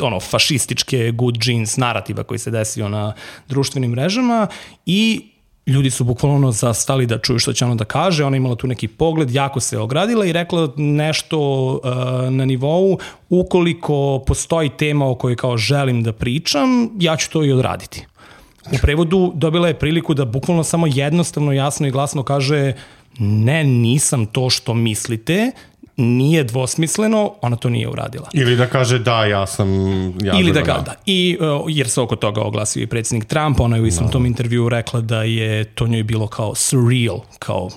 ono fašističke good genes narativa koji se desio na društvenim mrežama i ljudi su bukvalno zastali da čuju što će ona da kaže, ona imala tu neki pogled, jako se ogradila i rekla nešto uh, na nivou, ukoliko postoji tema o kojoj kao želim da pričam, ja ću to i odraditi. U prevodu dobila je priliku da bukvalno samo jednostavno, jasno i glasno kaže ne, nisam to što mislite, nije dvosmisleno, ona to nije uradila. Ili da kaže da, ja sam... Ja Ili da ga, da. I, uh, jer se oko toga oglasio i predsjednik Trump, ona je u istom no. tom intervju rekla da je to njoj bilo kao surreal, kao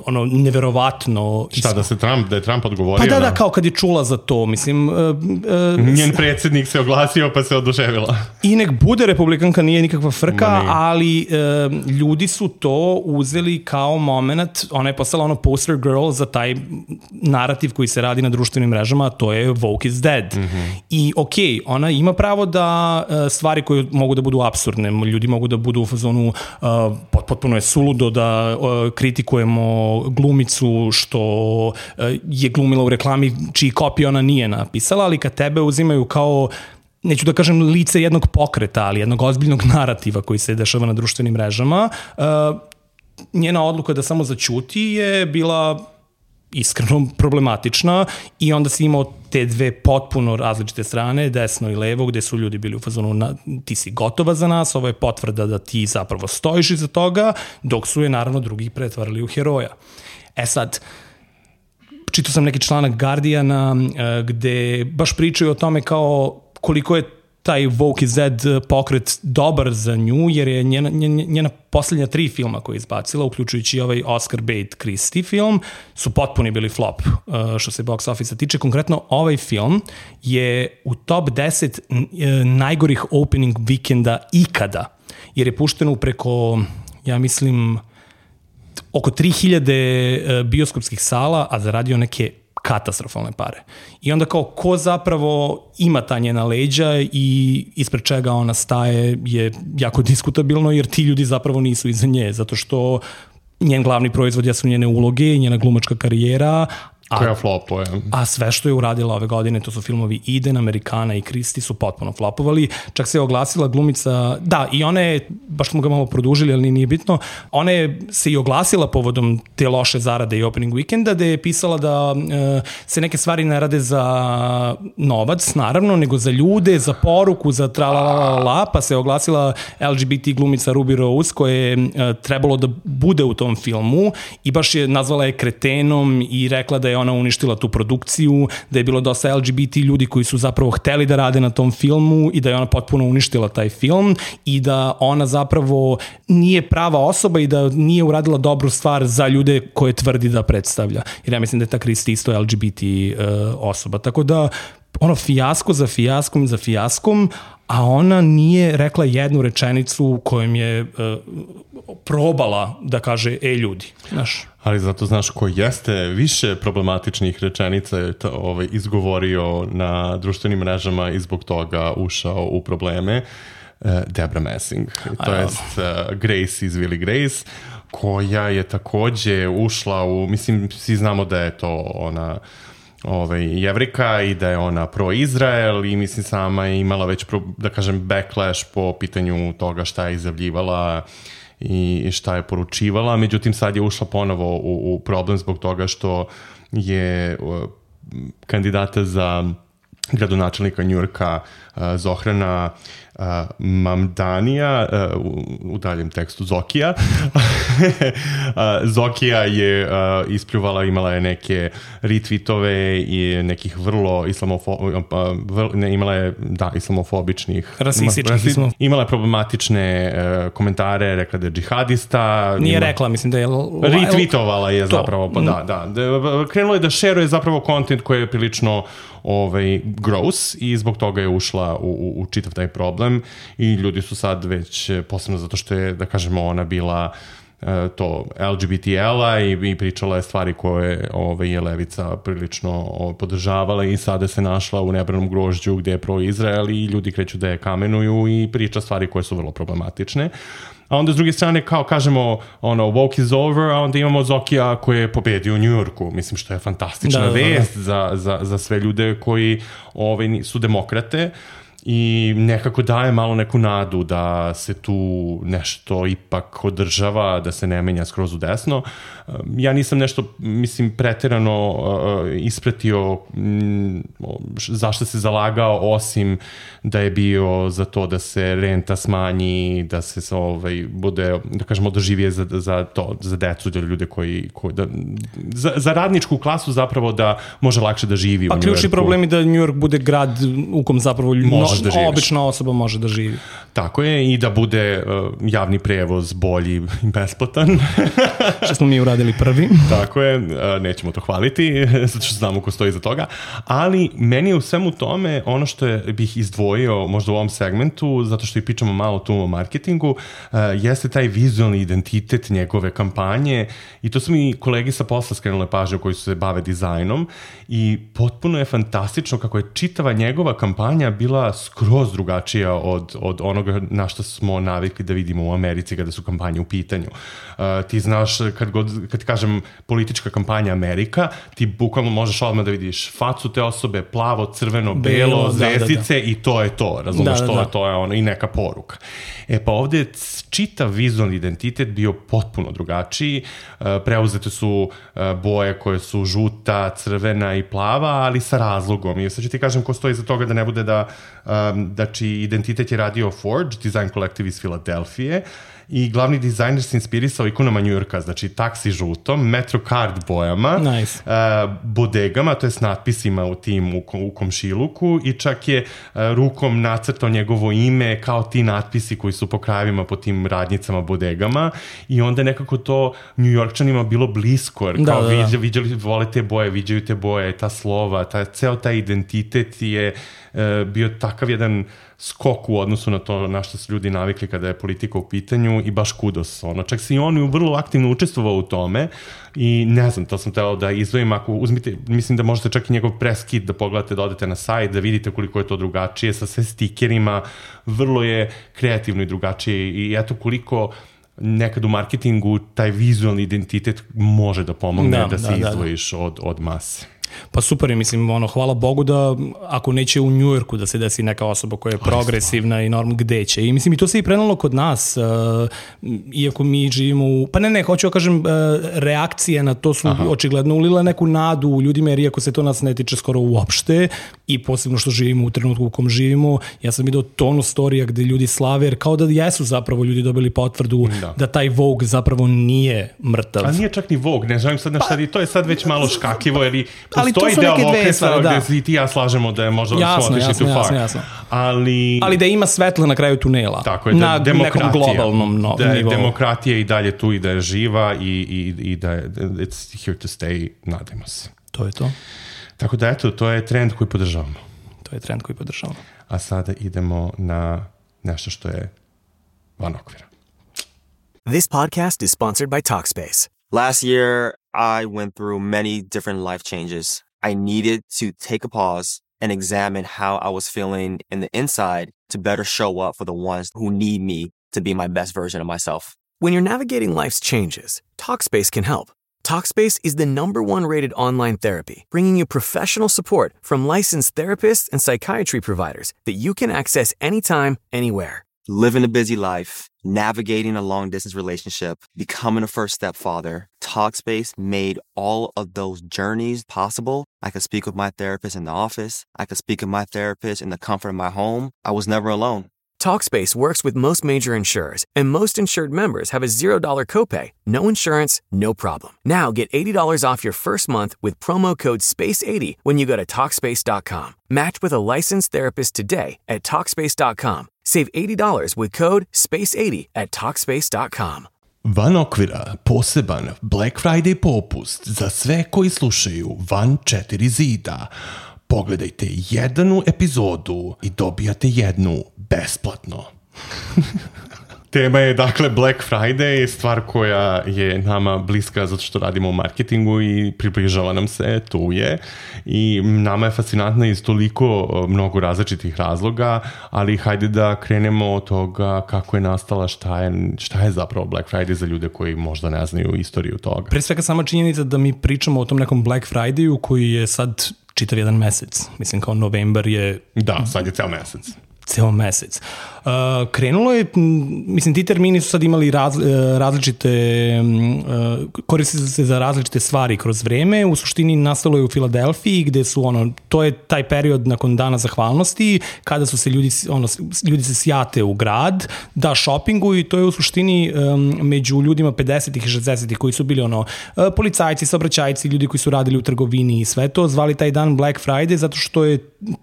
ono neverovatno. Šta, isko. da se Trump, da je Trump odgovorio? Pa da, na... da, kao kad je čula za to, mislim... Uh, uh, Njen predsjednik se oglasio pa se oduševila. I nek bude republikanka, nije nikakva frka, Ma, ali uh, ljudi su to uzeli kao moment, ona je postala ono poster girl za taj narativ koji se radi na društvenim mrežama, to je woke is dead. Mm-hmm. I okej, okay, ona ima pravo da uh, stvari koje mogu da budu apsurdne, ljudi mogu da budu u fazonu uh, potpuno je suludo da uh, kritikujemo glumicu što uh, je glumila u reklami čiji kopij ona nije napisala, ali kad tebe uzimaju kao neću da kažem lice jednog pokreta, ali jednog ozbiljnog narativa koji se dešava na društvenim mrežama, uh, njena odluka da samo zaćuti je bila iskreno problematična i onda si imao te dve potpuno različite strane, desno i levo, gde su ljudi bili u fazonu na, ti si gotova za nas, ovo je potvrda da ti zapravo stojiš iza toga, dok su je naravno drugi pretvarali u heroja. E sad, čitao sam neki članak Guardiana gde baš pričaju o tome kao koliko je taj Woke is Dead pokret dobar za nju, jer je njena, njena, njena posljednja tri filma koje je izbacila, uključujući ovaj Oscar bait Christie film, su potpuni bili flop što se box office tiče. Konkretno ovaj film je u top deset najgorih opening vikenda ikada, jer je pušteno preko, ja mislim, oko tri hiljade bioskopskih sala, a zaradio neke katastrofalne pare. I onda kao ko zapravo ima ta njena leđa i ispred čega ona staje je jako diskutabilno, jer ti ljudi zapravo nisu iza nje, zato što njen glavni proizvod jesu njene uloge i njena glumačka karijera, a, koja flopuje. A sve što je uradila ove godine, to su filmovi Eden, Amerikana i Christie, su potpuno flopovali. Čak se je oglasila glumica, da, i ona je, baš smo ga malo produžili, ali nije bitno, ona je se i oglasila povodom te loše zarade i opening weekenda, da je pisala da e, se neke stvari ne rade za novac, naravno, nego za ljude, za poruku, za tralalala, pa se je oglasila L G B T glumica Ruby Rose, koja je e, trebalo da bude u tom filmu i baš je nazvala je kretenom i rekla da je ona uništila tu produkciju, da je bilo dosta L G B T ljudi koji su zapravo hteli da rade na tom filmu i da je ona potpuno uništila taj film i da ona zapravo nije prava osoba i da nije uradila dobru stvar za ljude koje tvrdi da predstavlja. Jer ja mislim da je ta Christie isto L G B T uh, osoba. Tako da ono fijasko za fijaskom za fijaskom, a ona nije rekla jednu rečenicu kojom je uh, probala da kaže e ljudi, znaš. Ali zato znaš ko jeste više problematičnih rečenica je to, ovaj, izgovorio na društvenim mrežama i zbog toga ušao u probleme, uh, Debra Messing, to jest uh, Grace iz Will i Grace, koja je takođe ušla u, mislim, svi znamo da je to ona ovaj, Jevrika i da je ona pro-Izrael i mislim sama je imala već, pro, da kažem, backlash po pitanju toga šta je izjavljivala i šta je poručivala. Međutim, sad je ušla ponovo u, u problem zbog toga što je uh, kandidata za gradonačelnika Njujorka uh, Zohrana uh, Mamdanija, uh, u, u daljem tekstu Zokija. uh, Zokija je uh, ispljuvala, imala je neke retweetove i nekih vrlo islamofo, uh, vrlo, ne, imala je, da, islamofobičnih. Rasističnih. Islam... Imala je problematične uh, komentare, rekla da je džihadista. Nije ima, rekla, mislim da je... Retweetovala je to. zapravo, pa da, da. Krenulo je da šeruje zapravo kontent koji je prilično ovaj, gross i zbog toga je ušla u, u, u čitav taj problem i ljudi su sad već, posebno zato što je, da kažemo, ona bila uh, to L G B T L-a i, i pričala je stvari koje ovaj, je levica prilično ovaj, podržavala i sada se našla u nebranom grožđu gde je pro-Izrael i ljudi kreću da je kamenuju i priča stvari koje su vrlo problematične. A onda s druge strane, kao kažemo, ono, woke is over, a onda imamo Zokija koji je pobedio u Njujorku. Mislim, što je fantastična da, vest da, da. Za, za, za sve ljude koji ovaj, su demokrate i nekako daje malo neku nadu da se tu nešto ipak održava, da se ne menja skroz u desno. Ja nisam nešto, mislim, preterano uh, ispratio m, zašto se zalagao, osim da je bio za to da se renta smanji, da se ovaj, bude, da kažemo, održivije za, za to, za decu, za ljude koji, koji da, za, za radničku klasu zapravo da može lakše da živi pa, u Njujorku. Pa ključni problem je da Njujork bude grad u kom zapravo no, da obična osoba može da živi. Tako je, i da bude uh, javni prevoz bolji i besplatan. Što smo mi uradili prvi. Tako je, uh, nećemo to hvaliti, zato što znamo ko stoji iza toga, ali meni je u svemu tome ono što je, bih izdvojio možda u ovom segmentu, zato što i pričamo malo tu o marketingu, uh, jeste taj vizualni identitet njegove kampanje i to su mi kolegi sa posla skrenule pažnje koji su se bave dizajnom i potpuno je fantastično kako je čitava njegova kampanja bila skroz drugačija od, od onoga na što smo navikli da vidimo u Americi kada su kampanje u pitanju. Uh, ti znaš, kad, god, kad ti kažem politička kampanja Amerika, ti bukvalno možeš odmah da vidiš facu te osobe, plavo, crveno, belo, belo zvezdice, da, da, da. I to je to, razumeš, da, da, to, da. to je ono, i neka poruka. E pa ovde je čitav vizualni identitet bio potpuno drugačiji, uh, preuzete su uh, boje koje su žuta, crvena i plava, ali sa razlogom. I sad ću ti kažem ko stoji iza toga da ne bude da Um, da čiji identitet je radio Forge, design kolektiv iz Filadelfije, i glavni dizajner se inspirisao ikonama Njujorka, znači taksi žutom, Metrocard bojama, nice. uh, bodegama, to je s natpisima u tim u, u komšiluku, i čak je uh, rukom nacrtao njegovo ime kao ti natpisi koji su po krajevima po tim radnicama, bodegama, i onda nekako to Njujorkčanima bilo blisko, jer kao da, da, da. Viđali, viđali, vole te boje, viđaju te boje, ta slova, ta, ceo taj identitet je uh, bio takav jedan skok u odnosu na to na što su ljudi navikli kada je politika u pitanju, i baš kudos. Ono, čak se i on vrlo aktivno učestvovao u tome i ne znam, to sam teo da izdvojim, ako uzmite, mislim da možete čak i njegov press kit da pogledate, da odete na sajt, da vidite koliko je to drugačije sa sve stikerima, vrlo je kreativno i drugačije, i eto koliko nekad u marketingu taj vizualni identitet može da pomogne da, da se da, izdvojiš da, da. Od, od mase. Pa super je, mislim, ono, hvala Bogu da ako neće u Njujorku da se desi neka osoba koja je progresivna i norm, gde će. I mislim, i to se i prenalo kod nas, uh, iako mi živimo u, pa ne, ne, hoću da kažem, uh, reakcije na to su Aha. očigledno ulile neku nadu u ljudima, jer iako se to nas ne tiče skoro uopšte, i posebno što živimo u trenutku u kom živimo, ja sam vidio tonu storija gde ljudi slave, jer kao da jesu zapravo ljudi dobili potvrdu da, da taj Vogue zapravo nije mrtav. A nije čak ni Vogue, ne želim sad nešto, pa, to je sad već malo škakljivo, jer i ali to su neke dve stvari, da. Gde si ti ja slažemo da je možda jasno, jasno, jasno, jasno. Ali... ali da ima svetla na kraju tunela. Tako je, da na nekom globalnom no, da nivou. Demokratija i dalje tu i da je živa i, i, i da je it's here to stay, nadajmo se. To je to. Tako da eto, to je trend koji podržavamo. To je trend koji podržavamo. A sada idemo na nešto što je van okvira. This podcast is sponsored by Talkspace. Last year, I went through many different life changes. I needed to take a pause and examine how I was feeling in the inside to better show up for the ones who need me to be my best version of myself. When you're navigating life's changes, Talkspace can help. Talkspace is the number one rated online therapy, bringing you professional support from licensed therapists and psychiatry providers that you can access anytime, anywhere. Living a busy life, navigating a long-distance relationship, becoming a first-step father, Talkspace made all of those journeys possible. I could speak with my therapist in the office. I could speak with my therapist in the comfort of my home. I was never alone. Talkspace works with most major insurers, and most insured members have a zero dollar copay. No insurance, no problem. Now get eighty dollars off your first month with promo code space eighty when you go to Talkspace dot com. Match with a licensed therapist today at Talkspace dot com. Save eighty dollars with code space eighty at Talkspace dot com. Van okvira, poseban Black Friday popust za sve koji slušaju van četiri zida. Pogledajte jednu epizodu i dobijate jednu besplatno. Tema je dakle Black Friday, stvar koja je nama bliska zato što radimo u marketingu i približava nam se, tu je. I nama je fascinantna iz toliko mnogo različitih razloga, ali hajde da krenemo od toga kako je nastala, šta je, šta je zapravo Black Friday za ljude koji možda ne znaju istoriju toga. Pre svega sama činjenica da mi pričamo o tom nekom Black Fridayu koji je sad čitav jedan mesec. Mislim kao novembar je... Da, sad je ceo mesec. Ceo mesec. Uh, krenulo je, mislim, ti termini su sad imali raz, različite, uh, koriste se za različite stvari kroz vreme. U suštini nastalo je u Filadelfiji gde su, ono, to je taj period nakon Dana zahvalnosti, kada su se ljudi, ono, ljudi se sjate u grad, da šopingu i to je u suštini um, među ljudima pedesetih i šezdesetih koji su bili, ono, uh, policajci, saobraćajci, ljudi koji su radili u trgovini i sve to, zvali taj dan Black Friday zato što je,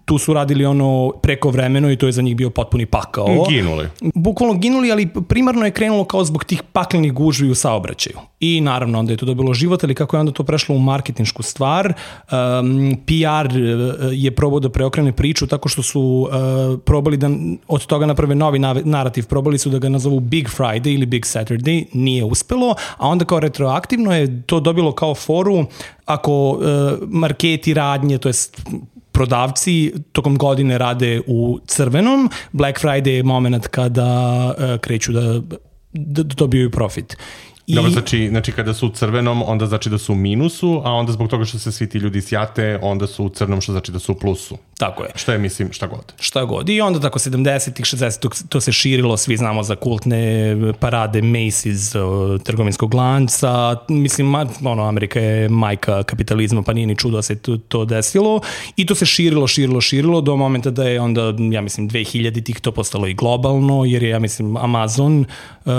tu su radili ono preko vremeno i to je za njih bio potpuni pakao. Ginuli. Bukvalno ginuli, ali primarno je krenulo kao zbog tih paklenih gužvi u saobraćaju. I naravno onda je to dobilo život, ali kako je onda to prešlo u marketinšku stvar, um, P R je probao da preokrene priču tako što su uh, probali da od toga naprave novi narativ, probali su da ga nazovu Big Friday ili Big Saturday, nije uspelo, a onda kao retroaktivno je to dobilo kao foru ako uh, marketi radnje, to jest prodavci tokom godine rade u crvenom, Black Friday je moment kada uh, kreću da, da dobiju profit. I... Dobro, znači, znači kada su u crvenom, onda znači da su u minusu, a onda zbog toga što se svi ti ljudi sjate, onda su u crnom, što znači da su u plusu. Tako je. Šta je, mislim, šta god. Šta god. I onda tako sedamdesetih, šezdesetih to se širilo, svi znamo za kultne parade Macy's, trgovinskog lanca. Mislim, ono, Amerika je majka kapitalizma, pa nije ni čudo da se to, to desilo. I to se širilo, širilo, širilo do momenta da je onda, ja mislim, dve hiljaditih to postalo i globalno, jer je, ja mislim, Amazon uh,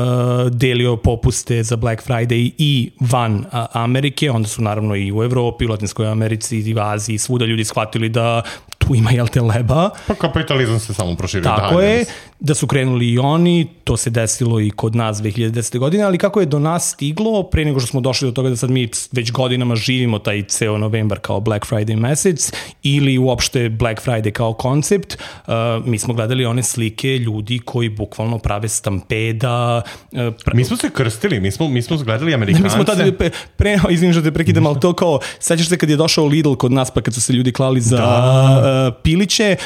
delio popuste za Black Friday i van a, Amerike, onda su naravno i u Evropi, u Latinskoj Americi i u Aziji, svuda ljudi shvatili da tu ima, jel te, leba. Pa kapitalizam se samo proširio. Tako dalje. Je, da su krenuli i oni, to se desilo i kod nas dve hiljade desete. godine, ali kako je do nas stiglo, pre nego što smo došli do toga da sad mi već godinama živimo taj ceo novembar kao Black Friday mesec, ili uopšte Black Friday kao koncept, uh, mi smo gledali one slike ljudi koji bukvalno prave stampeda. Uh, pra... Mi smo se krstili, mi smo, mi smo gledali Amerikance. Mi smo tada, pre, pre, izvinim što te prekidam, ali to kao, sećaš se kad je došao Lidl kod nas, pa kad su se ljudi klali za da. uh, piliće,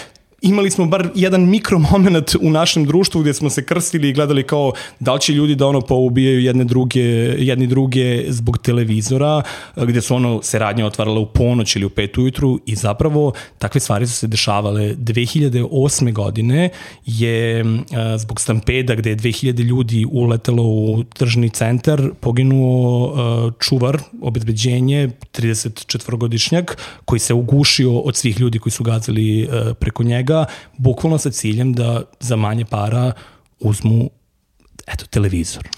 imali smo bar jedan mikromoment u našem društvu gdje smo se krstili i gledali kao da li će ljudi da ono poubijaju jedne druge, jedni druge zbog televizora, gdje su ono se radnje otvarale u ponoć ili u pet ujutru i zapravo takve stvari su se dešavale. dve hiljade osme. godine je zbog stampeda gdje je dve hiljade ljudi uletelo u tržni centar, poginuo čuvar, obezbeđenje, tridesetčetvorogodišnjak koji se ugušio od svih ljudi koji su gazili preko njega, bukvalno sa ciljem da za manje para uzmu, eto, televizor.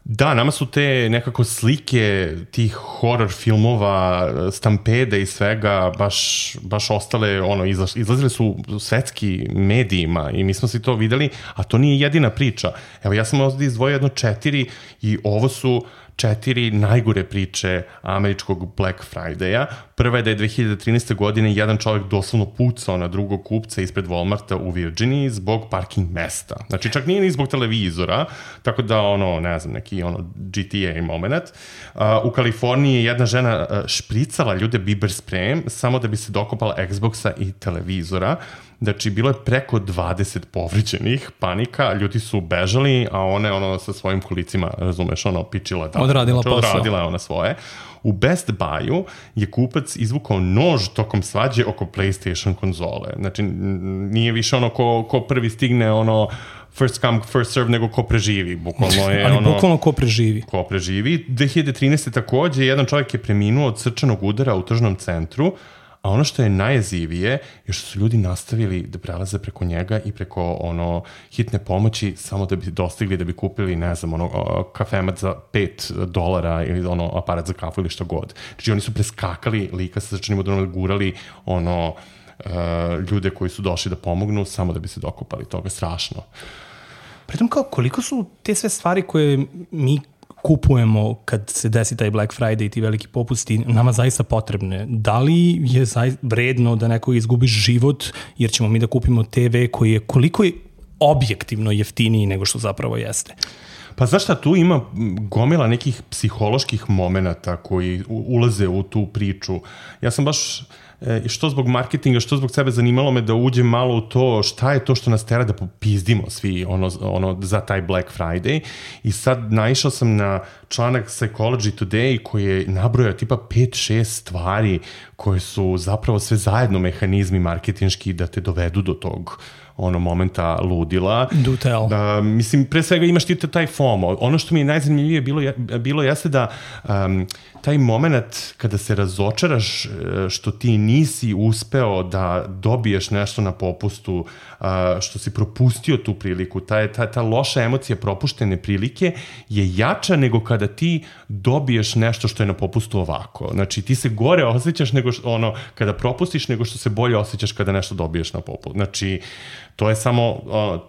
Da, nama su te nekako slike tih horror filmova, stampede i svega baš, baš ostale, ono, izlazile su u svetski medijima i mi smo si to videli, a to nije jedina priča. Evo, ja sam ovdje izdvojio jedno četiri i ovo su četiri najgore priče američkog Black Friday-a. Prva je da je dve hiljade trinaeste. godine jedan čovjek doslovno pucao na drugog kupca ispred Walmarta u Virginiji zbog parking mesta. Znači, čak nije ni zbog televizora, tako da, ono, ne znam, neki ono G T A moment. Uh, u Kaliforniji je jedna žena uh, špricala ljude biber sprejem samo da bi se dokopala Xboxa i televizora. Znači, bilo je preko dvadeset povređenih, panika, ljudi su bežali, a ona je ono sa svojim kolicima, razumeš, ono, pičila. Da, odradila znači, posao. Odradila je ona svoje. U Best Buy-u je kupac izvukao nož tokom svađe oko PlayStation konzole. Znači, nije više ono ko, ko prvi stigne, ono, first come, first serve, nego ko preživi. Bukvalno je Ali ono... bukvalno ko preživi. Ko preživi. dve hiljade trinaeste. takođe, jedan čovjek je preminuo od srčanog udara u tržnom centru, a ono što je najjezivije je što su ljudi nastavili da prelaze preko njega i preko ono hitne pomoći samo da bi dostigli, da bi kupili, ne znam, ono kafemat za pet dolara ili ono aparat za kafu ili što god. Znači oni su preskakali lika sa srčanim udarom, gurali ono uh, ljude koji su došli da pomognu samo da bi se dokopali toga. Strašno. Pritom kao koliko su te sve stvari koje mi kupujemo kad se desi taj Black Friday i ti veliki popusti nama zaista potrebne. Da li je zaista vredno da neko izgubi život jer ćemo mi da kupimo te ve koji je koliko je objektivno jeftiniji nego što zapravo jeste? Pa znaš šta, tu ima gomila nekih psiholoških momenata koji ulaze u tu priču. Ja sam baš... što zbog marketinga, što zbog sebe zanimalo me da uđem malo u to šta je to što nas tera da popizdimo svi ono, ono za taj Black Friday i sad naišao sam na članak Psychology Today koji je nabrojao tipa pet šest stvari koje su zapravo sve zajedno mehanizmi marketinški da te dovedu do tog ono momenta ludila. Do tell. Da, mislim, pre svega imaš ti taj FOMO. Ono što mi je najzanimljivije bilo, bilo jeste da um, taj moment kada se razočaraš što ti nisi uspeo da dobiješ nešto na popustu, uh, što si propustio tu priliku, ta, ta, ta loša emocija propuštene prilike je jača nego kada ti dobiješ nešto što je na popustu ovako. Znači, ti se gore osjećaš nego što, ono, kada propustiš nego što se bolje osjećaš kada nešto dobiješ na popustu. Znači, to je samo uh,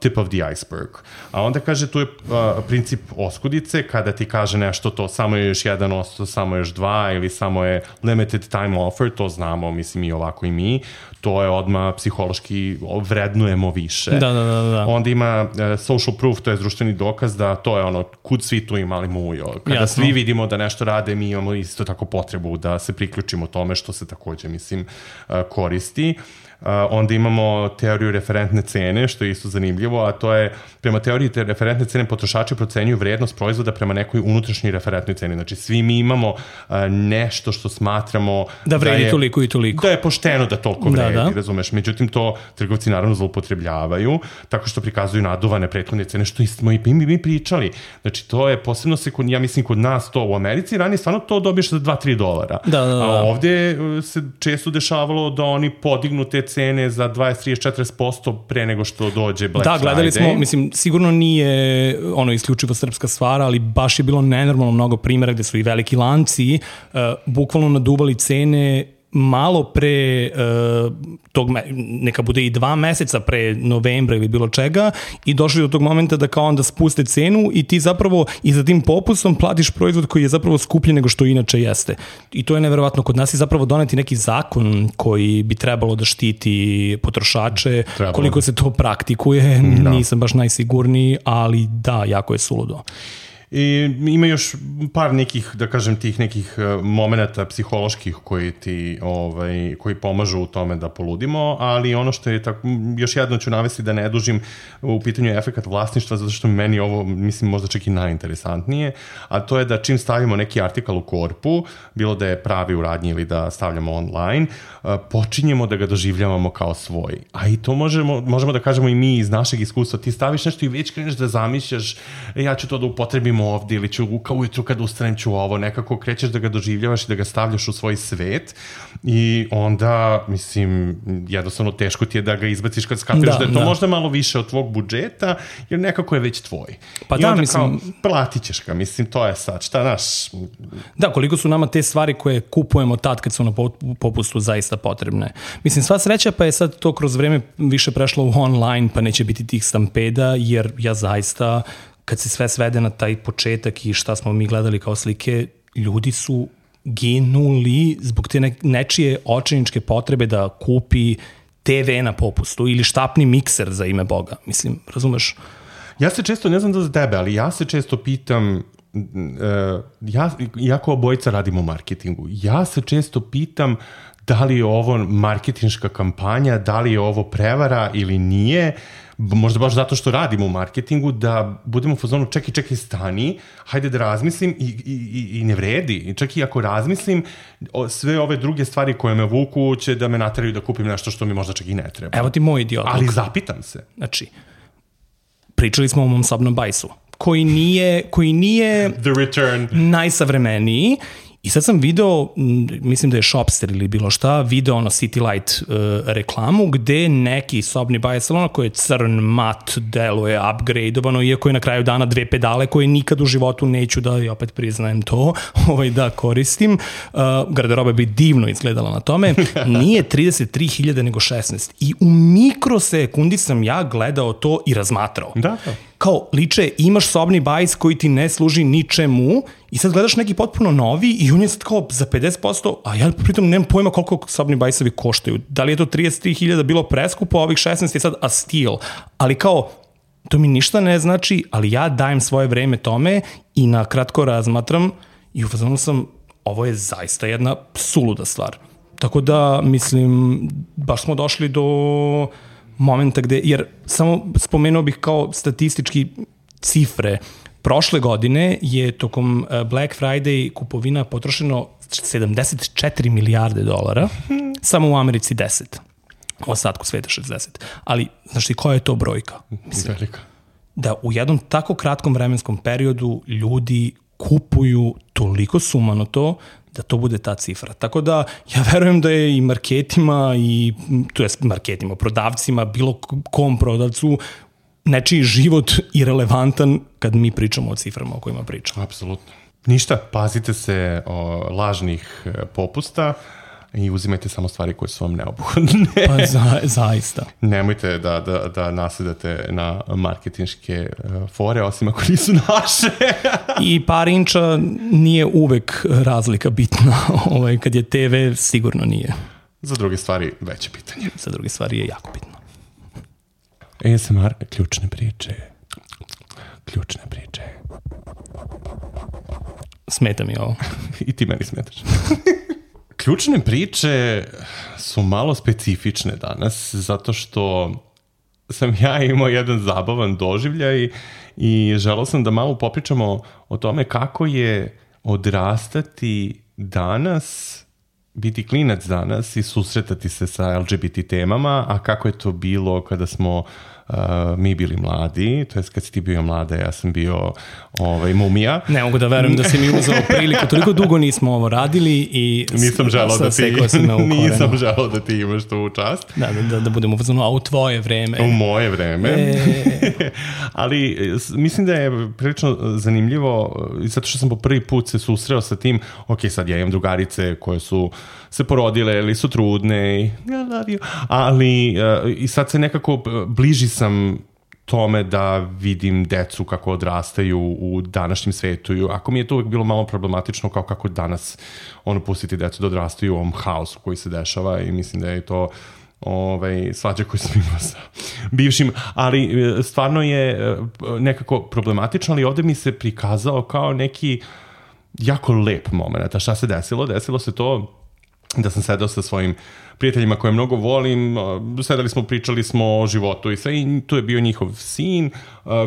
tip of the iceberg. A onda kaže, tu je uh, princip oskudice, kada ti kaže nešto to samo je još jedan osto, samo je još dva ili samo je limited time offer, to znamo, mislim i ovako i mi, to je odmah psihološki vrednujemo više. Da, da, da, da. Onda ima uh, social proof, to je društveni dokaz da to je ono, kud svi tu imali mujo. Kada Jasno. Svi vidimo da nešto rade, mi imamo isto tako potrebu da se priključimo tome što se takođe, mislim, uh, koristi. Uh, onda imamo teoriju referentne cene, što je isto zanimljivo, a to je, prema teoriji te referentne cene potrošači procenjuju vrednost proizvoda prema nekoj unutrašnjoj referentnoj ceni. Znači, svi mi imamo uh, nešto što smatramo da vredi da je, toliko i toliko. Da je pošteno da toliko vredi, da, da. razumeš. Međutim, to trgovci naravno zloupotrebljavaju, tako što prikazuju naduvane prethodne cene, što smo i mi, mi pričali. Znači, to je posebno se, kod, ja mislim, kod nas to u Americi, ranije stvarno to dobiješ za dva do tri dolara. Da, da, da. A ovde se često dešavalo da oni podignu te cene za dvadeset, trideset, četrdeset posto pre nego što dođe Black Friday. Da, gledali smo, mislim, sigurno nije ono isključivo srpska stvar, ali baš je bilo nenormalno mnogo primjera gde su i veliki lanci uh, bukvalno naduvali cene malo pre uh, tog, neka bude i dva meseca pre novembra ili bilo čega i došli do tog momenta da kao onda spuste cenu i ti zapravo i za tim popustom platiš proizvod koji je zapravo skuplji nego što inače jeste. I to je neverovatno. Kod nas je zapravo doneti neki zakon koji bi trebalo da štiti potrošače. Trebalo. Koliko se to praktikuje, da. Nisam baš najsigurniji, ali da, jako je suludo. I ima još par nekih, da kažem, tih nekih momenata psiholoških koji ti, ovaj, koji pomažu u tome da poludimo, ali ono što je tako, još jedno ću navesti da ne dužim, u pitanju je efekat vlasništva, zato što meni ovo, mislim, možda čak i najinteresantnije, a to je da čim stavimo neki artikal u korpu, bilo da je pravi u radnji ili da stavljamo online, počinjemo da ga doživljavamo kao svoj. A i to možemo, možemo da kažemo i mi iz našeg iskustva. Ti staviš nešto i već kreneš da zamišljaš, ja ću to da upotrebim ovde ili ću kao ujutru kad ustanem ću ovo, nekako krećeš da ga doživljavaš i da ga stavljaš u svoj svet i onda, mislim, jednostavno teško ti je da ga izbaciš kad skapiraš da, da je to da. možda malo više od tvog budžeta, jer nekako je već tvoj. Pa I da, onda mislim, kao, platit ćeš ga, mislim, to je sad, šta naš... Da, koliko su nama te stvari koje kupujemo tad kad su na popustu zaista potrebne. Mislim, sva sreća pa je sad to kroz vreme više prešlo u online, pa neće biti tih stampeda, jer ja zaista... kad se sve svede na taj početak i šta smo mi gledali kao slike, ljudi su ginuli zbog te nečije očajničke potrebe da kupi te ve na popustu ili štapni mikser za ime Boga. Mislim, razumeš? Ja se često, ne znam da za tebe, ali ja se često pitam ja, jako obojica radimo u marketingu, ja se često pitam da li je ovo marketinška kampanja, da li je ovo prevara ili nije, možda baš zato što radimo u marketingu, da budemo u fazonu čekaj, čekaj, stani, hajde da razmislim i, i, i ne vredi. Čak i ako razmislim, sve ove druge stvari koje me vuku će da me nateraju da kupim nešto što mi možda čak i ne treba. Evo ti moj idiot. Ali zapitam se. Znači, pričali smo o mom sobnom bajsu, koji nije, koji nije The Return. Najsavremeniji. I sad sam video, mislim da je Shopster ili bilo šta, video ono City Light uh, reklamu gde neki sobni bajs salona koji je crn, mat, deluje, upgradeovano, iako je na kraju dana dve pedale koje nikad u životu neću da, i opet priznajem to, ovaj, da koristim. Uh, garderoba bi divno izgledala na tome. Nije trideset tri hiljade nego šesnaest. I u mikrosekundi sam ja gledao to i razmatrao. Da, da. Kao, liče, imaš sobni bajs koji ti ne služi ničemu i sad gledaš neki potpuno novi i on je sad kao za pedeset posto, a ja pritom nemam pojma koliko sobni bajsovi koštaju. Da li je to trideset tri hiljade bilo preskupo, a ovih šesnaest je sad a steal. Ali kao, to mi ništa ne znači, ali ja dajem svoje vreme tome i na kratko razmatram i u fazonu sam, ovo je zaista jedna suluda stvar. Tako da, mislim, baš smo došli do momenta gde, jer samo spomenuo bih kao statistički cifre. Prošle godine je tokom Black Friday kupovina potrošeno sedamdeset četiri milijarde dolara, samo u Americi deset, u ostatku sveta šezdeset. Ali, znaš ti, koja je to brojka? Mislim, velika. Da u jednom tako kratkom vremenskom periodu ljudi kupuju toliko sumano to, da to bude ta cifra. Tako da ja verujem da je i marketima, i, to jest marketima, prodavcima, bilo kom prodavcu, nečiji život irelevantan kad mi pričamo o ciframa o kojima pričamo. Apsolutno. Ništa, pazite se o lažnih popusta i uzimajte samo stvari koje su vam neophodne. Pa za, zaista. Nemojte da, da, da nasedate na marketinške fore, osim ako nisu naše. I par inča nije uvek razlika bitna. Ovaj, kad je te ve, sigurno nije. Za druge stvari veće pitanje. Za druge stvari je jako bitno. A S M R, ključne priče. Ključne priče. Smeta mi ovo. I ti meni smetaš. Ključne priče su malo specifične danas, zato što sam ja imao jedan zabavan doživljaj i želeo sam da malo popričamo o tome kako je odrastati danas, biti klinac danas i susretati se sa L G B T temama, a kako je to bilo kada smo uh, mi bili mladi, to jest kad si ti bio mlada, ja sam bio ovaj, mumija. Ne mogu da verujem da si mi uzao priliku, toliko dugo nismo ovo radili i nisam želao da ti, nisam želao da ti imaš tu čast. Da, da, da budemo uzmano, a u tvoje vreme. U moje vreme. E... Ali mislim da je prilično zanimljivo, zato što sam po prvi put se susreo sa tim, ok, sad ja imam drugarice koje su se porodile ili su trudne, I love you, ali uh, i sad se nekako bliži sam tome da vidim decu kako odrastaju u današnjem svetu. Ako mi je to uvijek bilo malo problematično kao kako danas ono pustiti decu da odrastaju u ovom haosu koji se dešava i mislim da je to ovaj, svađa koju sam imao sa bivšim, ali stvarno je nekako problematično, ali ovde mi se prikazao kao neki jako lep moment. A šta se desilo? Desilo se to da sam sedao sa svojim prijateljima koje mnogo volim, sedali smo, pričali smo o životu i sve, i tu je bio njihov sin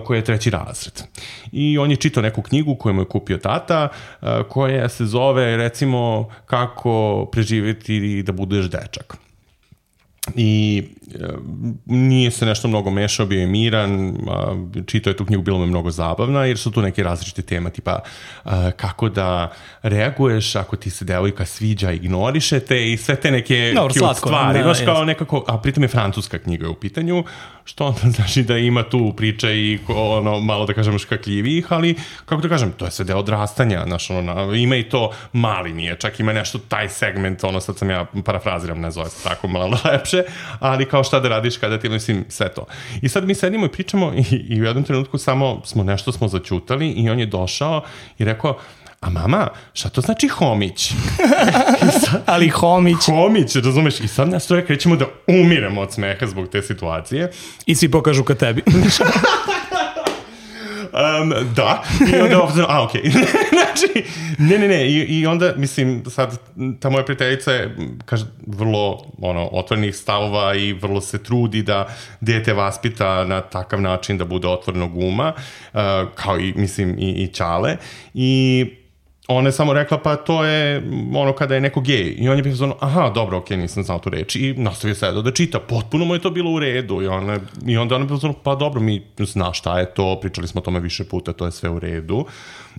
koji je treći razred. I on je čitao neku knjigu koju mu je kupio tata, koja se zove, recimo, kako preživjeti da budeš dečak. I e, nije se nešto mnogo mešao, bio je miran, a, čitao je tu knjigu, bilo me mnogo zabavna, jer su tu neke različite tema, tipa a, kako da reaguješ ako ti se devojka sviđa, ignorišete i sve te neke Dobar, cute slatko, stvari, da, baš kao jest. nekako, a pritom je francuska knjiga u pitanju, što onda znači da ima tu priče i ono, malo da kažem škakljivih, ali kako da kažem, to je sve deo odrastanja, znaš, ono, ima i to, mali nije, čak ima nešto taj segment, ono, sad sam ja parafraziram, ne zove se tako malo lepše, ali kao šta da radiš kada ti, mislim, sve to. I sad mi sedimo i pričamo i, i u jednom trenutku samo smo nešto smo zaćutali i on je došao i rekao, a mama, šta to znači homić? Sad, ali homić. Homić, razumeš? I sad nas troje krećemo da umiremo od smeha zbog te situacije. I svi pokažu ka tebi. Um, da, i onda ovdje, a okej, okay. Znači, ne, ne, ne, I, i onda, mislim, sad, ta moja prijateljica je, kaže, vrlo, ono, otvorenih stavova i vrlo se trudi da dete vaspita na takav način da bude otvorenog uma, uh, kao i, mislim, i, i Ćale, i ona je samo rekla, pa to je ono kada je neko gej. I on je bio ono, aha, dobro, okej, okay, nisam znao tu reč. I nastavio se da čita. Potpuno mu je to bilo u redu. I, ona, i onda ona je bilo ono, pa dobro, mi zna šta je to, pričali smo o tome više puta, to je sve u redu.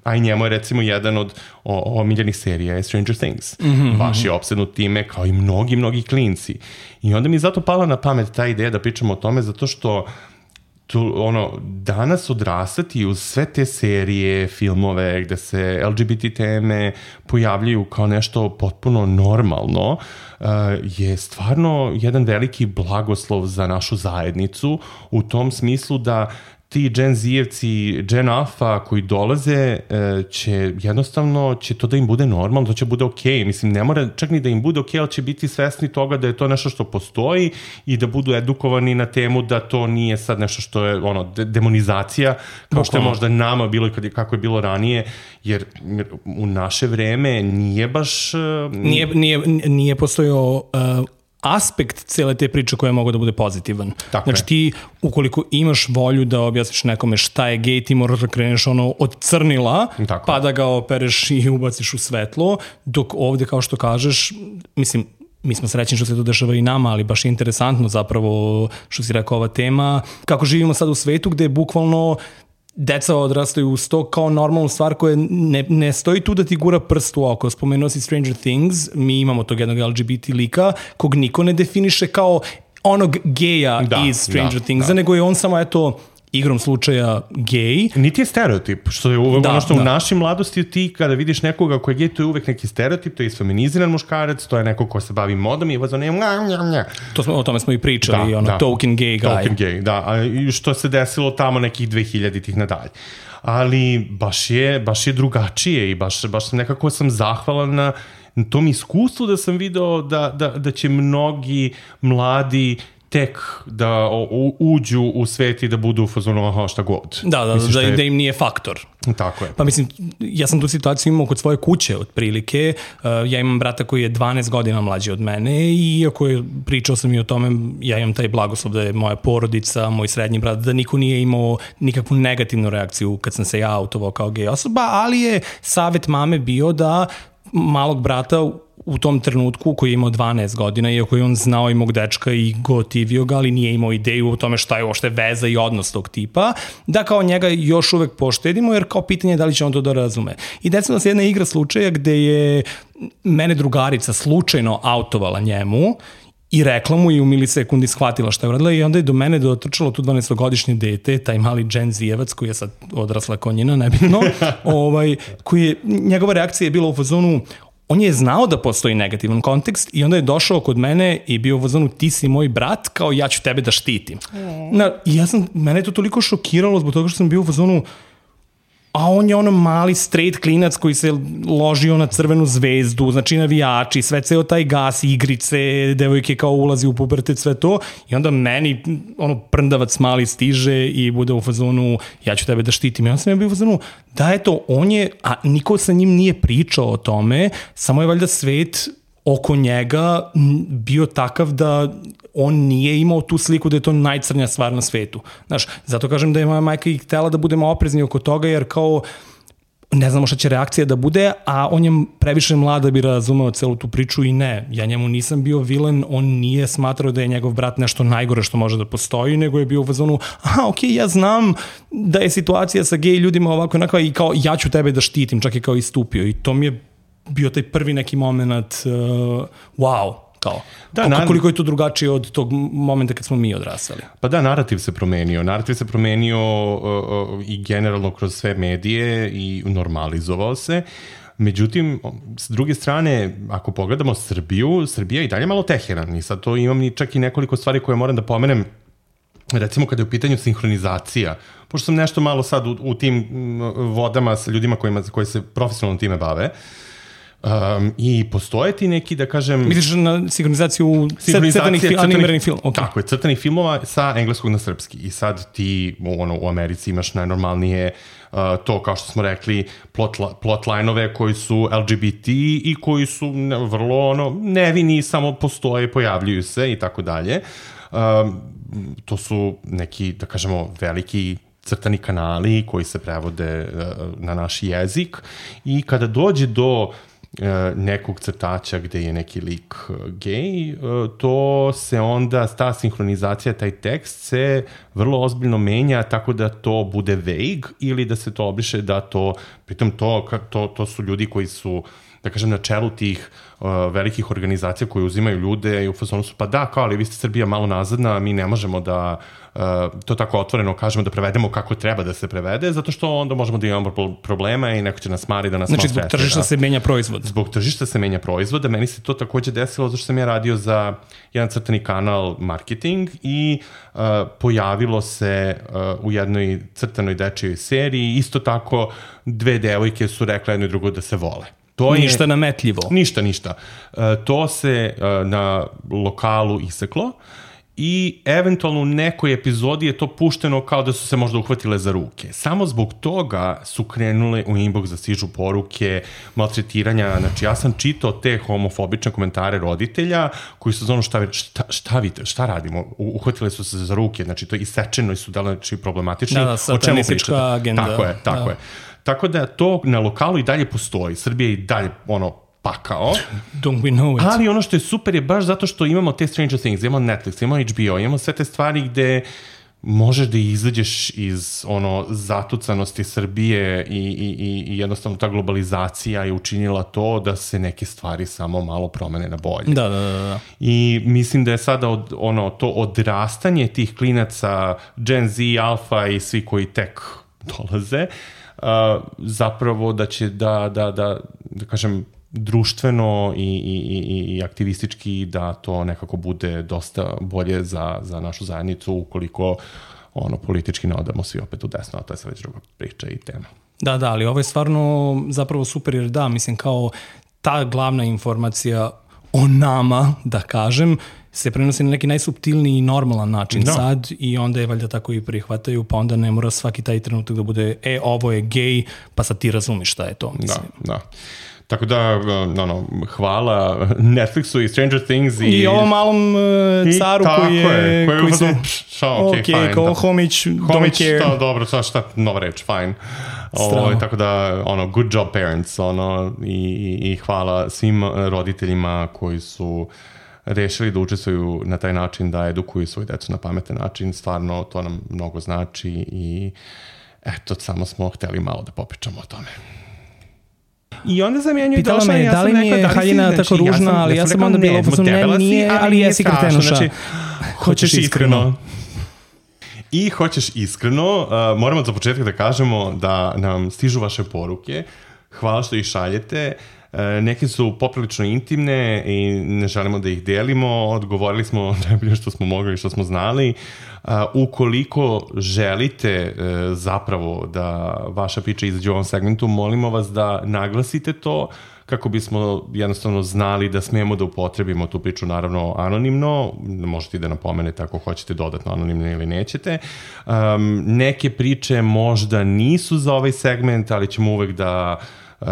A i njemu je recimo jedan od omiljenih serija je Stranger Things. Mm-hmm. Baš je opsednut time, kao i mnogi, mnogi klinci. I onda mi je zato pala na pamet ta ideja da pričamo o tome, zato što tu, ono, danas odrastati uz sve te serije, filmove gde se L G B T teme pojavljaju kao nešto potpuno normalno, uh, je stvarno jedan veliki blagoslov za našu zajednicu u tom smislu da ti Gen Z-evci, Gen Alpha koji dolaze će jednostavno, će to da im bude normalno, to će bude okej. Okay. Mislim, ne mora čak ni da im bude okej, okay, ali će biti svesni toga da je to nešto što postoji i da budu edukovani na temu da to nije sad nešto što je ono, de- demonizacija, kao što je možda nama bilo i kad je, kako je bilo ranije, jer u naše vreme nije baš... Nije, nije, nije postojao... Uh... aspekt cele te priče koja je mogao da bude pozitivan. Tako znači je. ti, ukoliko imaš volju da objasniš nekome šta je gej, ti moraš da kreneš ono od crnila, Tako. pa da ga opereš i ubaciš u svetlo, dok ovde, kao što kažeš, mislim, mi smo srećni što se to dešava i nama, ali baš je interesantno zapravo, što si rekao, ova tema, kako živimo sad u svetu gde bukvalno deca odrastaju uz to kao normalnu stvar koja ne, ne stoji tu da ti gura prst u oko. Spomenuo si Stranger Things, mi imamo tog jednog L G B T lika kog niko ne definiše kao onog geja da, iz Stranger da, Things, da. nego je on samo eto igrom slučaja gej. Niti je stereotip, što je uvek da, ono što da. u našoj mladosti ti kada vidiš nekoga koji je gej, to je uvek neki stereotip, to je isfeminiziran muškarac, to je neko ko se bavi modom i vas ono je nja, nja, nja. To smo, o tome smo i pričali, da, ono da. token gay guy. Token gay, da, a što se desilo tamo nekih dvehiljaditih nadalje. Ali baš je, baš je drugačije i baš, baš nekako sam zahvalan na tom iskustvu da sam video da, da, da će mnogi mladi tek da u, uđu u svet i da budu u fazonu aha šta god. Da, da, mislim, da, je... da im nije faktor. Tako je. Pa mislim, ja sam tu situaciju imao kod svoje kuće otprilike. Uh, ja imam brata koji je dvanaest godina mlađi od mene i iako je, pričao sam i o tome, ja imam taj blagoslov da je moja porodica, moj srednji brat, da niko nije imao nikakvu negativnu reakciju kad sam se ja autovao kao gej osoba, ali je savjet mame bio da malog brata u tom trenutku koji je imao dvanaest godina, iako je on znao i mog dečka i gotivio ga, ali nije imao ideju o tome šta je uopšte veza i odnos tog tipa, da kao njega još uvek poštedimo, jer kao pitanje je da li će on to da razume. I desila se jedna igra slučaja gde je mene drugarica slučajno autovala njemu i rekla mu i u milisekundi shvatila šta je uradila i onda je do mene dotrčalo tu dvanaestogodišnje dete, taj mali Gen Z-evac koji je sad odrasla konjina, nebitno, ovaj, koji je, njegova reakcija je bila u fazonu, on je znao da postoji negativan kontekst i onda je došao kod mene i bio u fazonu ti si moj brat, kao ja ću tebe da štitim. Mm. Na, i ja sam, mene je to toliko šokiralo zbog toga što sam bio u fazonu, a on je ono mali straight klinac koji se ložio na crvenu zvezdu, znači navijači, sve ceo taj gas, igrice, devojke kao ulazi u pubertet, sve to. I onda meni ono prndavac mali stiže i bude u fazonu ja ću tebe da štitim. I onda sam ja bio u fazonu da eto, on je, a niko sa njim nije pričao o tome, samo je valjda svet oko njega bio takav da on nije imao tu sliku da je to najcrnja stvar na svetu. Znaš, zato kažem da je moja majka i htela da budemo oprezni oko toga, jer kao ne znamo šta će reakcija da bude, a on je previše mlad da bi razumeo celu tu priču i ne, ja njemu nisam bio vilen, on nije smatrao da je njegov brat nešto najgore što može da postoji, nego je bio u fazonu, aha, okej, okay, ja znam da je situacija sa gej ljudima ovako onako i kao ja ću tebe da štitim, čak je kao istupio i to mi je bio taj prvi neki moment, uh, wow, kao, da, koliko, koliko je to drugačije od tog momenta kad smo mi odrastali. Pa da, narativ se promenio. Narativ se promenio uh, uh, i generalno kroz sve medije i normalizovao se. Međutim, s druge strane, ako pogledamo Srbiju, Srbija i dalje malo teheran. I sad to imam ni čak i nekoliko stvari koje moram da pomenem. Recimo kada je u pitanju sinhronizacija, pošto sam nešto malo sad u, u tim vodama sa ljudima kojima, koji se profesionalno time bave, Um, I postoje ti neki, da kažem... Misliš na sinhronizaciju crtanih fil, animiranih filmova? Okay. Tako je, crtanih filmova sa engleskog na srpski. I sad ti ono, u Americi imaš najnormalnije uh, to, kao što smo rekli, plot, plotline-ove koji su L G B T i koji su ne, vrlo ono, nevini, samo postoje, pojavljuju se i tako dalje. Um, to su neki, da kažemo, veliki crtani kanali koji se prevode uh, na naš jezik i kada dođe do nekog crtača gde je neki lik gej, to se onda, ta sinhronizacija, taj tekst se vrlo ozbiljno menja tako da to bude vague ili da se to obriše, da to, pritom to, to, to su ljudi koji su, da kažem, na čelu tih uh, velikih organizacija koji uzimaju ljude i u fazonu su, pa da, kao, ali vi ste Srbija malo nazadna, mi ne možemo da uh, to tako otvoreno kažemo da prevedemo kako treba da se prevede, zato što onda možemo da imamo problema i neko će nas mari da nas znači, zbog tržišta da. se menja proizvod. Zbog tržišta se menja proizvod, meni se to takođe desilo zato što sam ja radio za jedan crtani kanal marketing i uh, pojavilo se uh, u jednoj crtanoj dečijoj seriji, isto tako dve devojke su rekle jedno i drugo da se vole. To ništa je, nametljivo. Ništa, ništa. Uh, to se uh, na lokalu iseklo i eventualno u nekoj epizodi je to pušteno kao da su se možda uhvatile za ruke. Samo zbog toga su krenule u inbox da stižu poruke, maltretiranja. Znači, ja sam čitao te homofobične komentare roditelja koji su znali šta, šta, šta, vidite, šta radimo? Uhvatile su se za ruke, znači to isečeno i su znači, problematični. Da, da, satanistička agenda. Tako je, tako da. je. Tako da to na lokalu i dalje postoji. Srbija i dalje ono pakao. Don't we know it. Ali ono što je super je baš zato što imamo te Stranger Things, imamo Netflix, imamo H B O, imamo sve te stvari gde možeš da izađeš iz ono zatucanosti Srbije i, i, i jednostavno ta globalizacija je učinila to da se neke stvari samo malo promene na bolje. Da, da, da. da. I mislim da je sada od, ono, to odrastanje tih klinaca Gen Z, Alfa i svi koji tek dolaze, Uh, zapravo da će da, da, da, da kažem, društveno i, i, i, i aktivistički da to nekako bude dosta bolje za, za našu zajednicu ukoliko ono, politički ne odamo svi opet u desno, a to je sad već druga priča i tema. Da, da, ali ovo je stvarno zapravo super jer da, mislim kao ta glavna informacija o nama, da kažem, se prenosi na neki najsuptilniji i normalan način da. sad i onda je valjda tako i prihvataju, pa onda ne mora svaki taj trenutak da bude e, ovo je gej, pa sad ti razumiš šta je to. Mislim. Da, da. Tako da, no, no, hvala Netflixu i Stranger Things i... I ovom malom uh, caru I, koji je... Koji, koji se... Šta, ok, okay fine. Kao homić, homić, don't care. Da, dobro, šta, šta, nova reč, fine. O, tako da, ono, good job parents, ono, i, i, i hvala svim roditeljima koji su rešili da učestvuju na taj način, da edukuju svoju decu na pametan način, stvarno to nam mnogo znači i eto, samo smo hteli malo da popričamo o tome. I onda sam ja nju pitala došla me, i ja da li mi je haljina znači, tako ružna, ja ali ja sam onda bila u ne, nije, ali jesi kretenuša. Znači, hoćeš iskreno. I hoćeš iskreno, uh, moramo za početak da kažemo da nam stižu vaše poruke, hvala što ih šaljete. Neke su poprilično intimne i ne želimo da ih delimo, odgovorili smo najbolje što smo mogli i što smo znali. Ukoliko želite zapravo da vaša priča izađe u ovom segmentu, molimo vas da naglasite to kako bismo jednostavno znali da smijemo da upotrebimo tu priču, naravno anonimno, možete i da napomenete ako hoćete dodatno anonimno ili nećete. Um, neke priče možda nisu za ovaj segment, ali ćemo uvek da Uh,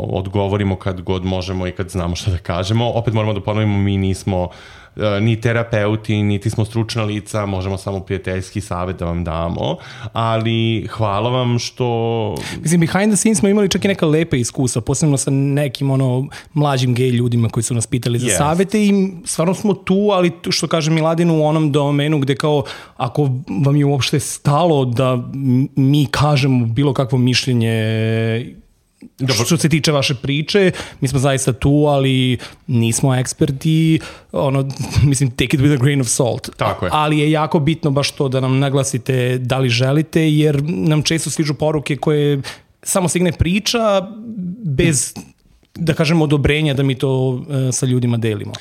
odgovorimo kad god možemo i kad znamo šta da kažemo. Opet moramo da ponovimo, mi nismo uh, ni terapeuti, niti smo stručna lica, možemo samo prijateljski savjet da vam damo, ali hvala vam što... Mislim, behind the scenes smo imali čak i neka lepa iskustva, posebno sa nekim ono mlađim gej ljudima koji su nas pitali za yes. savjete i stvarno smo tu, ali što kaže Miladin u onom domenu gde kao ako vam je uopšte stalo da mi kažemo bilo kakvo mišljenje Dobro. Što se tiče vaše priče, mi smo zaista tu, ali nismo eksperti, ono, mislim, take it with a grain of salt. Tako je. Ali je jako bitno baš to da nam naglasite da li želite, jer nam često stižu poruke koje samo stigne priča bez da kažem, odobrenja da mi to uh, sa ljudima delimo.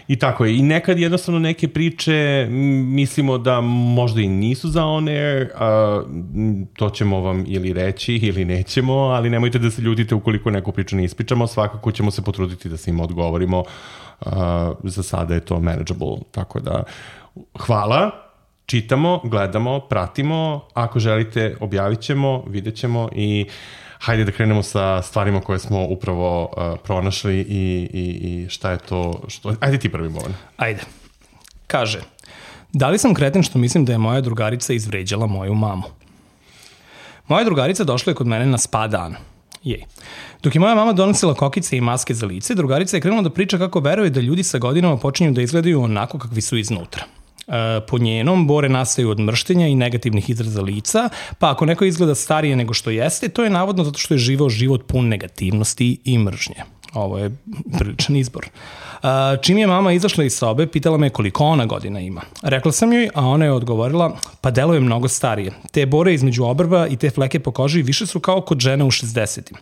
I tako je. I nekad jednostavno neke priče mislimo da možda i nisu za on air, a, to ćemo vam ili reći ili nećemo, ali nemojte da se ljutite ukoliko neku priču ne ispričamo, svakako ćemo se potruditi da se im odgovorimo. A, za sada je to manageable, tako da hvala, čitamo, gledamo, pratimo, ako želite objavit ćemo, vidjet ćemo i hajde da krenemo sa stvarima koje smo upravo uh, pronašli i, i, i šta je to, što... Ajde ti prvi Bovan. Ajde. Kaže, da li sam kreten što mislim da je moja drugarica izvređala moju mamu? Moja drugarica došla je kod mene na spa dan. Jej. Dok je moja mama donosila kokice i maske za lice, drugarica je krenula da priča kako veruje da ljudi sa godinama počinju da izgledaju onako kakvi su iznutra. Po njenom, bore nastaju od mrštenja i negativnih izraza lica, pa ako neko izgleda starije nego što jeste, to je navodno zato što je živeo život pun negativnosti i mržnje. Ovo je priličan izbor. Čim je mama izašla iz sobe, pitala me koliko ona godina ima. Rekla sam joj, a ona je odgovorila, pa deluje mnogo starije. Te bore između obrva i te fleke po koži više su kao kod žena u šezdesetim.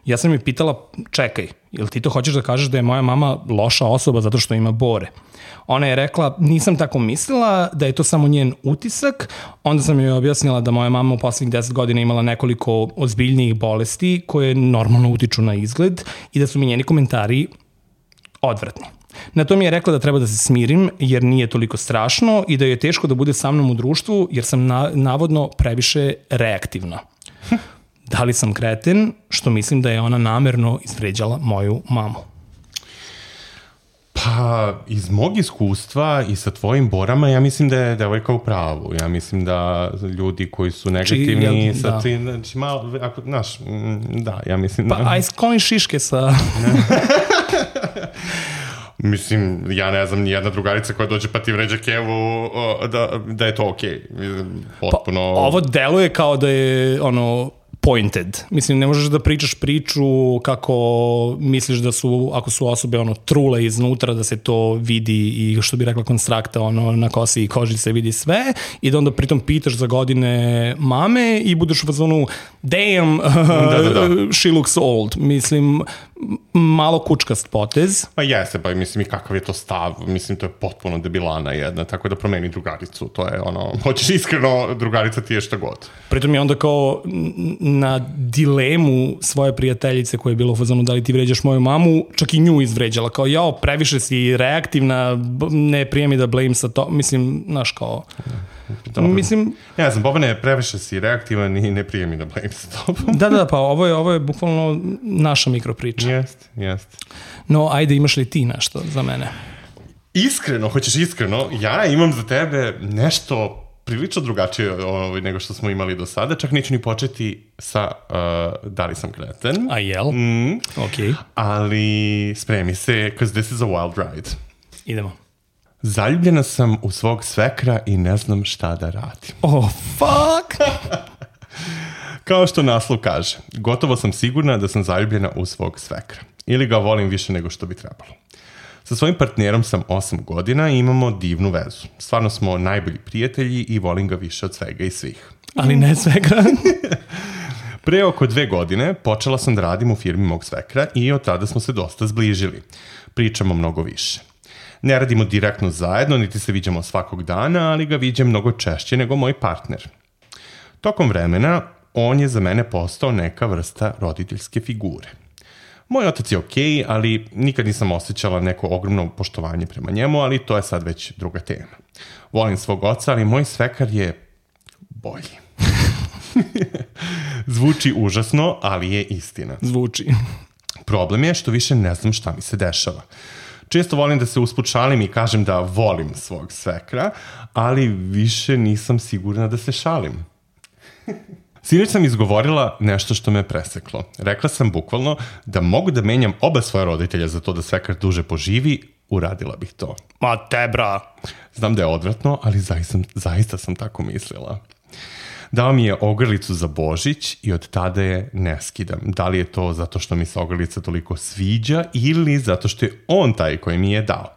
Ja sam joj pitala, čekaj, jel ti to hoćeš da kažeš da je moja mama loša osoba zato što ima bore? Ona je rekla, nisam tako mislila, da je to samo njen utisak. Onda sam joj objasnila da moja mama u poslednjih deset godina imala nekoliko ozbiljnijih bolesti koje normalno utiču na izgled i da su mi njeni komentari odvratni. Na to mi je rekla da treba da se smirim jer nije toliko strašno i da je teško da bude sa mnom u društvu jer sam na, navodno previše reaktivna. Da li sam kreten što mislim da je ona namerno izvređala moju mamu? Pa, iz mog iskustva i sa tvojim borama, ja mislim da je devojka u pravu. Ja mislim da ljudi koji su negativni, Či, sa da. ti, znači malo, ako, znaš, da, ja mislim pa, da... Pa, aj skloni šiške sa... Mislim, ja ne znam, nijedna drugarica koja dođe pa ti vređa kevu, da, da je to okej. Okay. Potpuno... Pa, ovo deluje kao da je, ono... pointed. Mislim, ne možeš da pričaš priču kako misliš da su, ako su osobe ono trule iznutra, da se to vidi i što bi rekla konstrakta, ono na kosi i koži se vidi sve i da onda pritom pitaš za godine mame i budeš u fazonu damn, da, da, da. She looks old. Mislim, malo kučkast potez. Pa jeste, pa mislim i kakav je to stav, mislim to je potpuno debilana jedna, tako da promeni drugaricu, to je ono, hoćeš iskreno, drugarica ti je šta god. Pritom je onda kao na dilemu svoje prijateljice koja je bila u fazonu da li ti vređaš moju mamu, čak i nju izvređala, kao jao, previše si reaktivna, ne prijemi da blame sa to, mislim, znaš kao... Dobro. Mislim... Ja znam, Bobane, previše si reaktivan i ne prijemi da blame sa tobom. Da, da, pa ovo je, ovo je bukvalno naša mikropriča. Jest, jest. No, ajde, imaš li ti nešto za mene? Iskreno, hoćeš iskreno, ja imam za tebe nešto prilično drugačije ovaj, nego što smo imali do sada, čak neću ni početi sa uh, da li sam kreten. A jel? Mm. Ok. Ali spremi se, because this is a wild ride. Idemo. Zaljubljena sam u svog svekra i ne znam šta da radim. Oh, fuck! Kao što naslov kaže, gotovo sam sigurna da sam zaljubljena u svog svekra. Ili ga volim više nego što bi trebalo. Sa svojim partnerom sam osam godina i imamo divnu vezu. Stvarno smo najbolji prijatelji i volim ga više od svega i svih. Ali ne svekra. Pre oko dve godine počela sam da radim u firmi mog svekra i od tada smo se dosta zbližili. Pričamo mnogo više. Ne radimo direktno zajedno, niti se viđamo svakog dana, ali ga viđem mnogo češće nego moj partner. Tokom vremena, on je za mene postao neka vrsta roditeljske figure. Moj otac je okej, ali nikad nisam osjećala neko ogromno poštovanje prema njemu, ali to je sad već druga tema. Volim svog oca, ali moj svekar je bolji. Zvuči užasno, ali je istina. Zvuči. Problem je što više ne znam šta mi se dešava. Često volim da se usput šalim i kažem da volim svog svekra, ali više nisam sigurna da se šalim. Sinoć sam izgovorila nešto što me preseklo. Rekla sam bukvalno da mogu da menjam oba svoja roditelja za to da svekar duže poživi, uradila bih to. Ma te bra. Znam da je odvratno, ali zaista, zaista sam tako mislila. Dao mi je ogrlicu za Božić i od tada je ne skidam. Da li je to zato što mi se ogrlica toliko sviđa ili zato što je on taj koji mi je dao.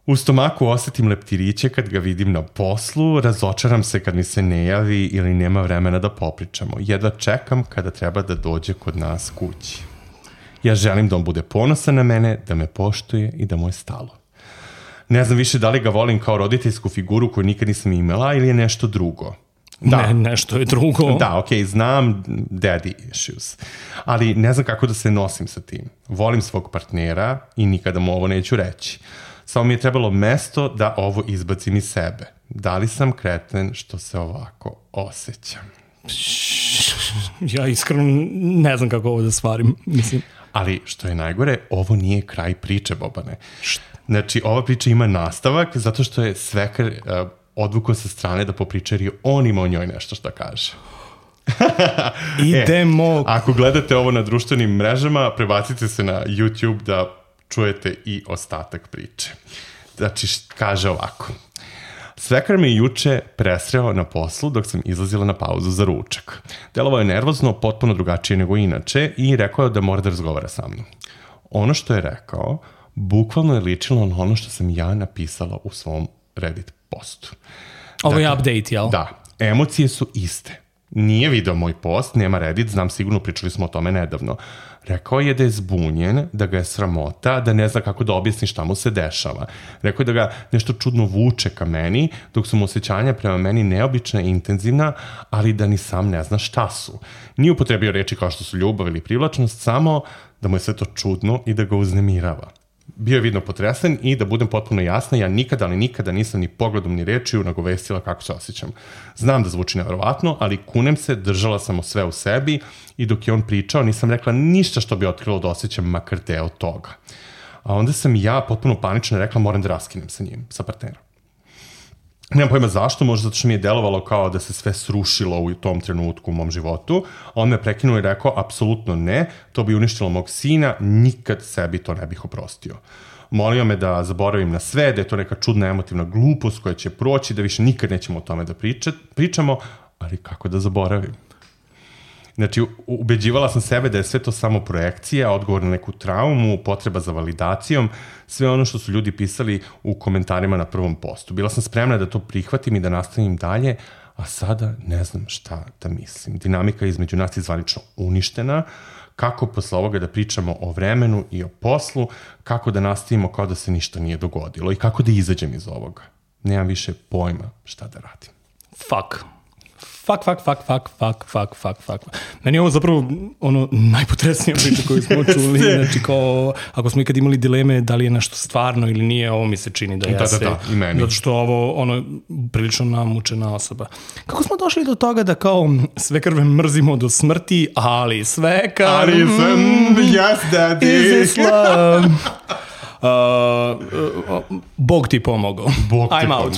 U stomaku osetim leptiriće kad ga vidim na poslu, razočaram se kad mi se ne javi ili nema vremena da popričamo. Jedva čekam kada treba da dođe kod nas kući. Ja želim da on bude ponosan na mene, da me poštuje i da mu je stalo. Ne znam više da li ga volim kao roditeljsku figuru koju nikad nisam imala ili je nešto drugo. Da. Ne, nešto je drugo. Da, okej, okay, znam daddy issues, ali ne znam kako da se nosim sa tim. Volim svog partnera i nikada mu ovo neću reći. Samo mi je trebalo mesto da ovo izbacim iz sebe. Da li sam kreten što se ovako osjećam? Ja iskreno ne znam kako ovo da stvarim, mislim. Ali što je najgore, ovo nije kraj priče, Bobane. Znači, ova priča ima nastavak zato što je Svekar uh, odvukao sa strane da popriča jer je on ima o njoj nešto što kaže. Idemo. E, ako gledate ovo na društvenim mrežama, prebacite se na YouTube da čujete i ostatak priče. Znači, kaže ovako. Svekar me juče presreo na poslu dok sam izlazila na pauzu za ručak. Delovao je nervozno, potpuno drugačije nego inače i rekao je da mora da razgovara sa mnom. Ono što je rekao, bukvalno je ličilo na ono što sam ja napisala u svom Reddit postu. Ovo je update, jel? Da, emocije su iste. Nije video moj post, nema Reddit, znam sigurno, pričali smo o tome nedavno. Rekao je da je zbunjen, da ga je sramota, da ne zna kako da objasni šta mu se dešava. Rekao je da ga nešto čudno vuče ka meni, dok su mu osjećanja prema meni neobična i intenzivna, ali da ni sam ne zna šta su. Nije upotrebio reči kao što su ljubav ili privlačnost, samo da mu je sve to čudno i da ga uznemirava. Bio je vidno potresan i da budem potpuno jasna, ja nikada, ali nikada nisam ni pogledom ni rečiju nagovestila kako se osjećam. Znam da zvuči nevjerovatno, ali kunem se, držala sam sve u sebi i dok je on pričao nisam rekla ništa što bi otkrilo da osjećam makar deo toga. A onda sam ja potpuno panično rekla moram da raskinem sa njim, sa partnerom. Nemam pojma zašto, možda zato što mi je delovalo kao da se sve srušilo u tom trenutku u mom životu. On me prekinuo i rekao, apsolutno ne, to bi uništilo mog sina, nikad sebi to ne bih oprostio. Molio me da zaboravim na sve, da je to neka čudna emotivna glupost koja će proći, da više nikad nećemo o tome da priča, pričamo, ali kako da zaboravim? Znači, ubeđivala sam sebe da je sve to samo projekcija, odgovor na neku traumu, potreba za validacijom, sve ono što su ljudi pisali u komentarima na prvom postu. Bila sam spremna da to prihvatim i da nastavim dalje, a sada ne znam šta da mislim. Dinamika između nas je zvanično uništena, kako posle ovoga da pričamo o vremenu i o poslu, kako da nastavimo kao da se ništa nije dogodilo i kako da izađem iz ovoga. Nemam više pojma šta da radim. Fuck. Fuck, fuck, fuck, fuck, fuck, fuck, fuck, fuck. Meni je ovo zapravo ono najpotresnija priča koju smo čuli. Znači kao, ako smo ikad imali dileme da li je nešto stvarno ili nije, ovo mi se čini da jeste. Da, da, da, i meni. Zato što ovo, ono, prilično namučena osoba. Kako smo došli do toga da kao sve krve mrzimo do smrti, ali sve krve... Ali sve, mm, yes, daddy. Is Islam. Uh, uh, Bog ti pomogao. Bog ti I'm out.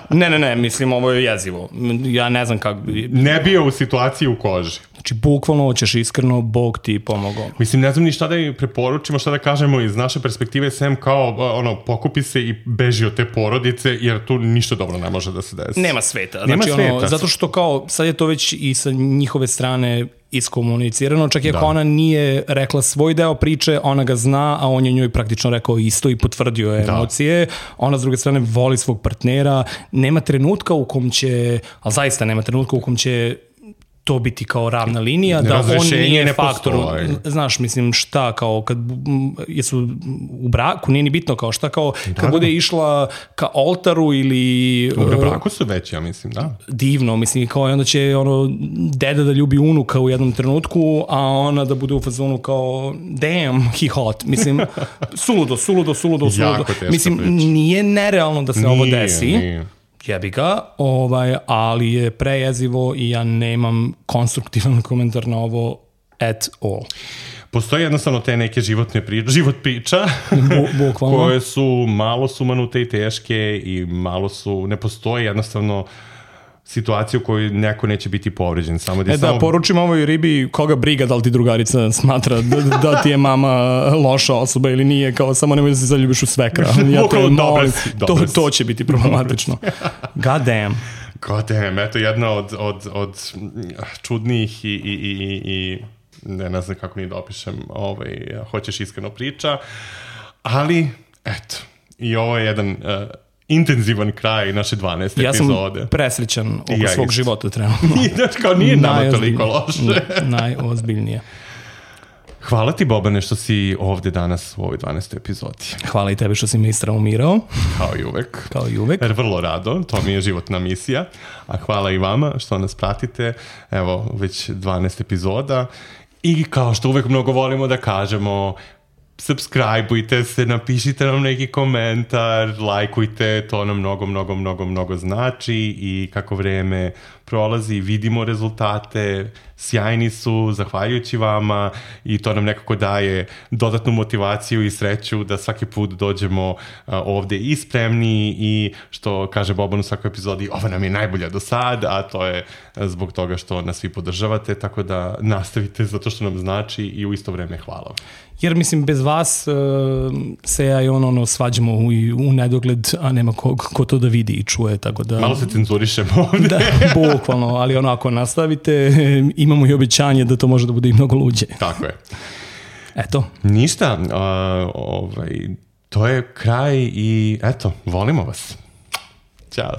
ne, ne, ne, mislim, ovo je jezivo. Ja ne znam kako... Ne bio u situaciji u koži. Znači, bukvalno hoćeš iskreno, Bog ti pomogao. Mislim, ne znam ni šta da im preporučimo, šta da kažemo iz naše perspektive, sem kao, ono, pokupi se i beži od te porodice, jer tu ništa dobro ne može da se desi. Nema sveta. Znači, Nema sveta. Ono, zato što kao, sad je to već i sa njihove strane iskomunicirano, čak i ako ona nije rekla svoj deo priče, ona ga zna, a on je njoj praktično rekao isto i potvrdio je emocije. Ona s druge strane voli svog partnera. Nema trenutka u kom će, ali zaista nema trenutka u kom će to biti kao ravna linija, da on nije ne faktor. Postoji. Znaš, mislim, šta kao, kad jesu u braku, nije ni bitno kao šta, kao kad da, bude išla ka oltaru ili... U braku su već, ja mislim, da. Divno, mislim, kao onda će ono, deda da ljubi unuka u jednom trenutku, a ona da bude u fazonu kao, damn, he hot. Mislim, suludo, suludo, suludo, suludo. Mislim, priča. Nije nerealno da se nije, ovo desi. Nije. Jebi ga, ovaj, ali je prejezivo i ja nemam konstruktivan komentar na ovo at all. Postoje jednostavno te neke životne priče, život priča Bu, koje su malo sumanute i teške i malo su, ne postoji jednostavno situaciju u kojoj neko neće biti povređen. Samo da, e samo... da, poručim ovoj ribi koga briga da li ti drugarica smatra da, da ti je mama loša osoba ili nije, kao samo nemoj da se zaljubiš u svekra. Ja te molim, to, to će biti problematično. God damn. God damn, eto jedna od, od, od čudnih i, i, i, i ne, ne znam kako ni da opišem, ovaj, hoćeš iskreno priča, ali eto, i ovo je jedan... Uh, intenzivan kraj naše dvanaeste ja epizode. Ja sam presrećan oko ja svog isto. života trenutno. Kao nije nama toliko loše. Najozbiljnije. Hvala ti, Bobane, što si ovde danas u ovoj dvanaestoj epizodi. Hvala i tebi što si me istraumirao. Kao i uvek. Kao i uvek. Jer vrlo rado, to mi je životna misija. A hvala i vama što nas pratite. Evo, već dvanaest epizoda. I kao što uvek mnogo volimo da kažemo, subscribeujte se, napišite nam neki komentar, lajkujte, to nam mnogo, mnogo, mnogo, mnogo znači i kako vreme prolazi, vidimo rezultate, sjajni su, zahvaljujući vama i to nam nekako daje dodatnu motivaciju i sreću da svaki put dođemo uh, ovde i spremni i što kaže Boban u svakoj epizodi, ova nam je najbolja do sad, a to je zbog toga što nas svi podržavate, tako da nastavite zato što nam znači i u isto vreme hvala. Jer mislim, bez vas uh, se ja i on ono svađamo u, u nedogled, a nema ko, ko to da vidi i čuje, tako da... Malo se cenzurišemo ovde. Da, bukvalno, ali ono, ako nastavite, imamo i obećanje da to može da bude i mnogo luđe. Tako je. Eto. Ništa, uh, ovaj, to je kraj i eto, volimo vas. Ćao.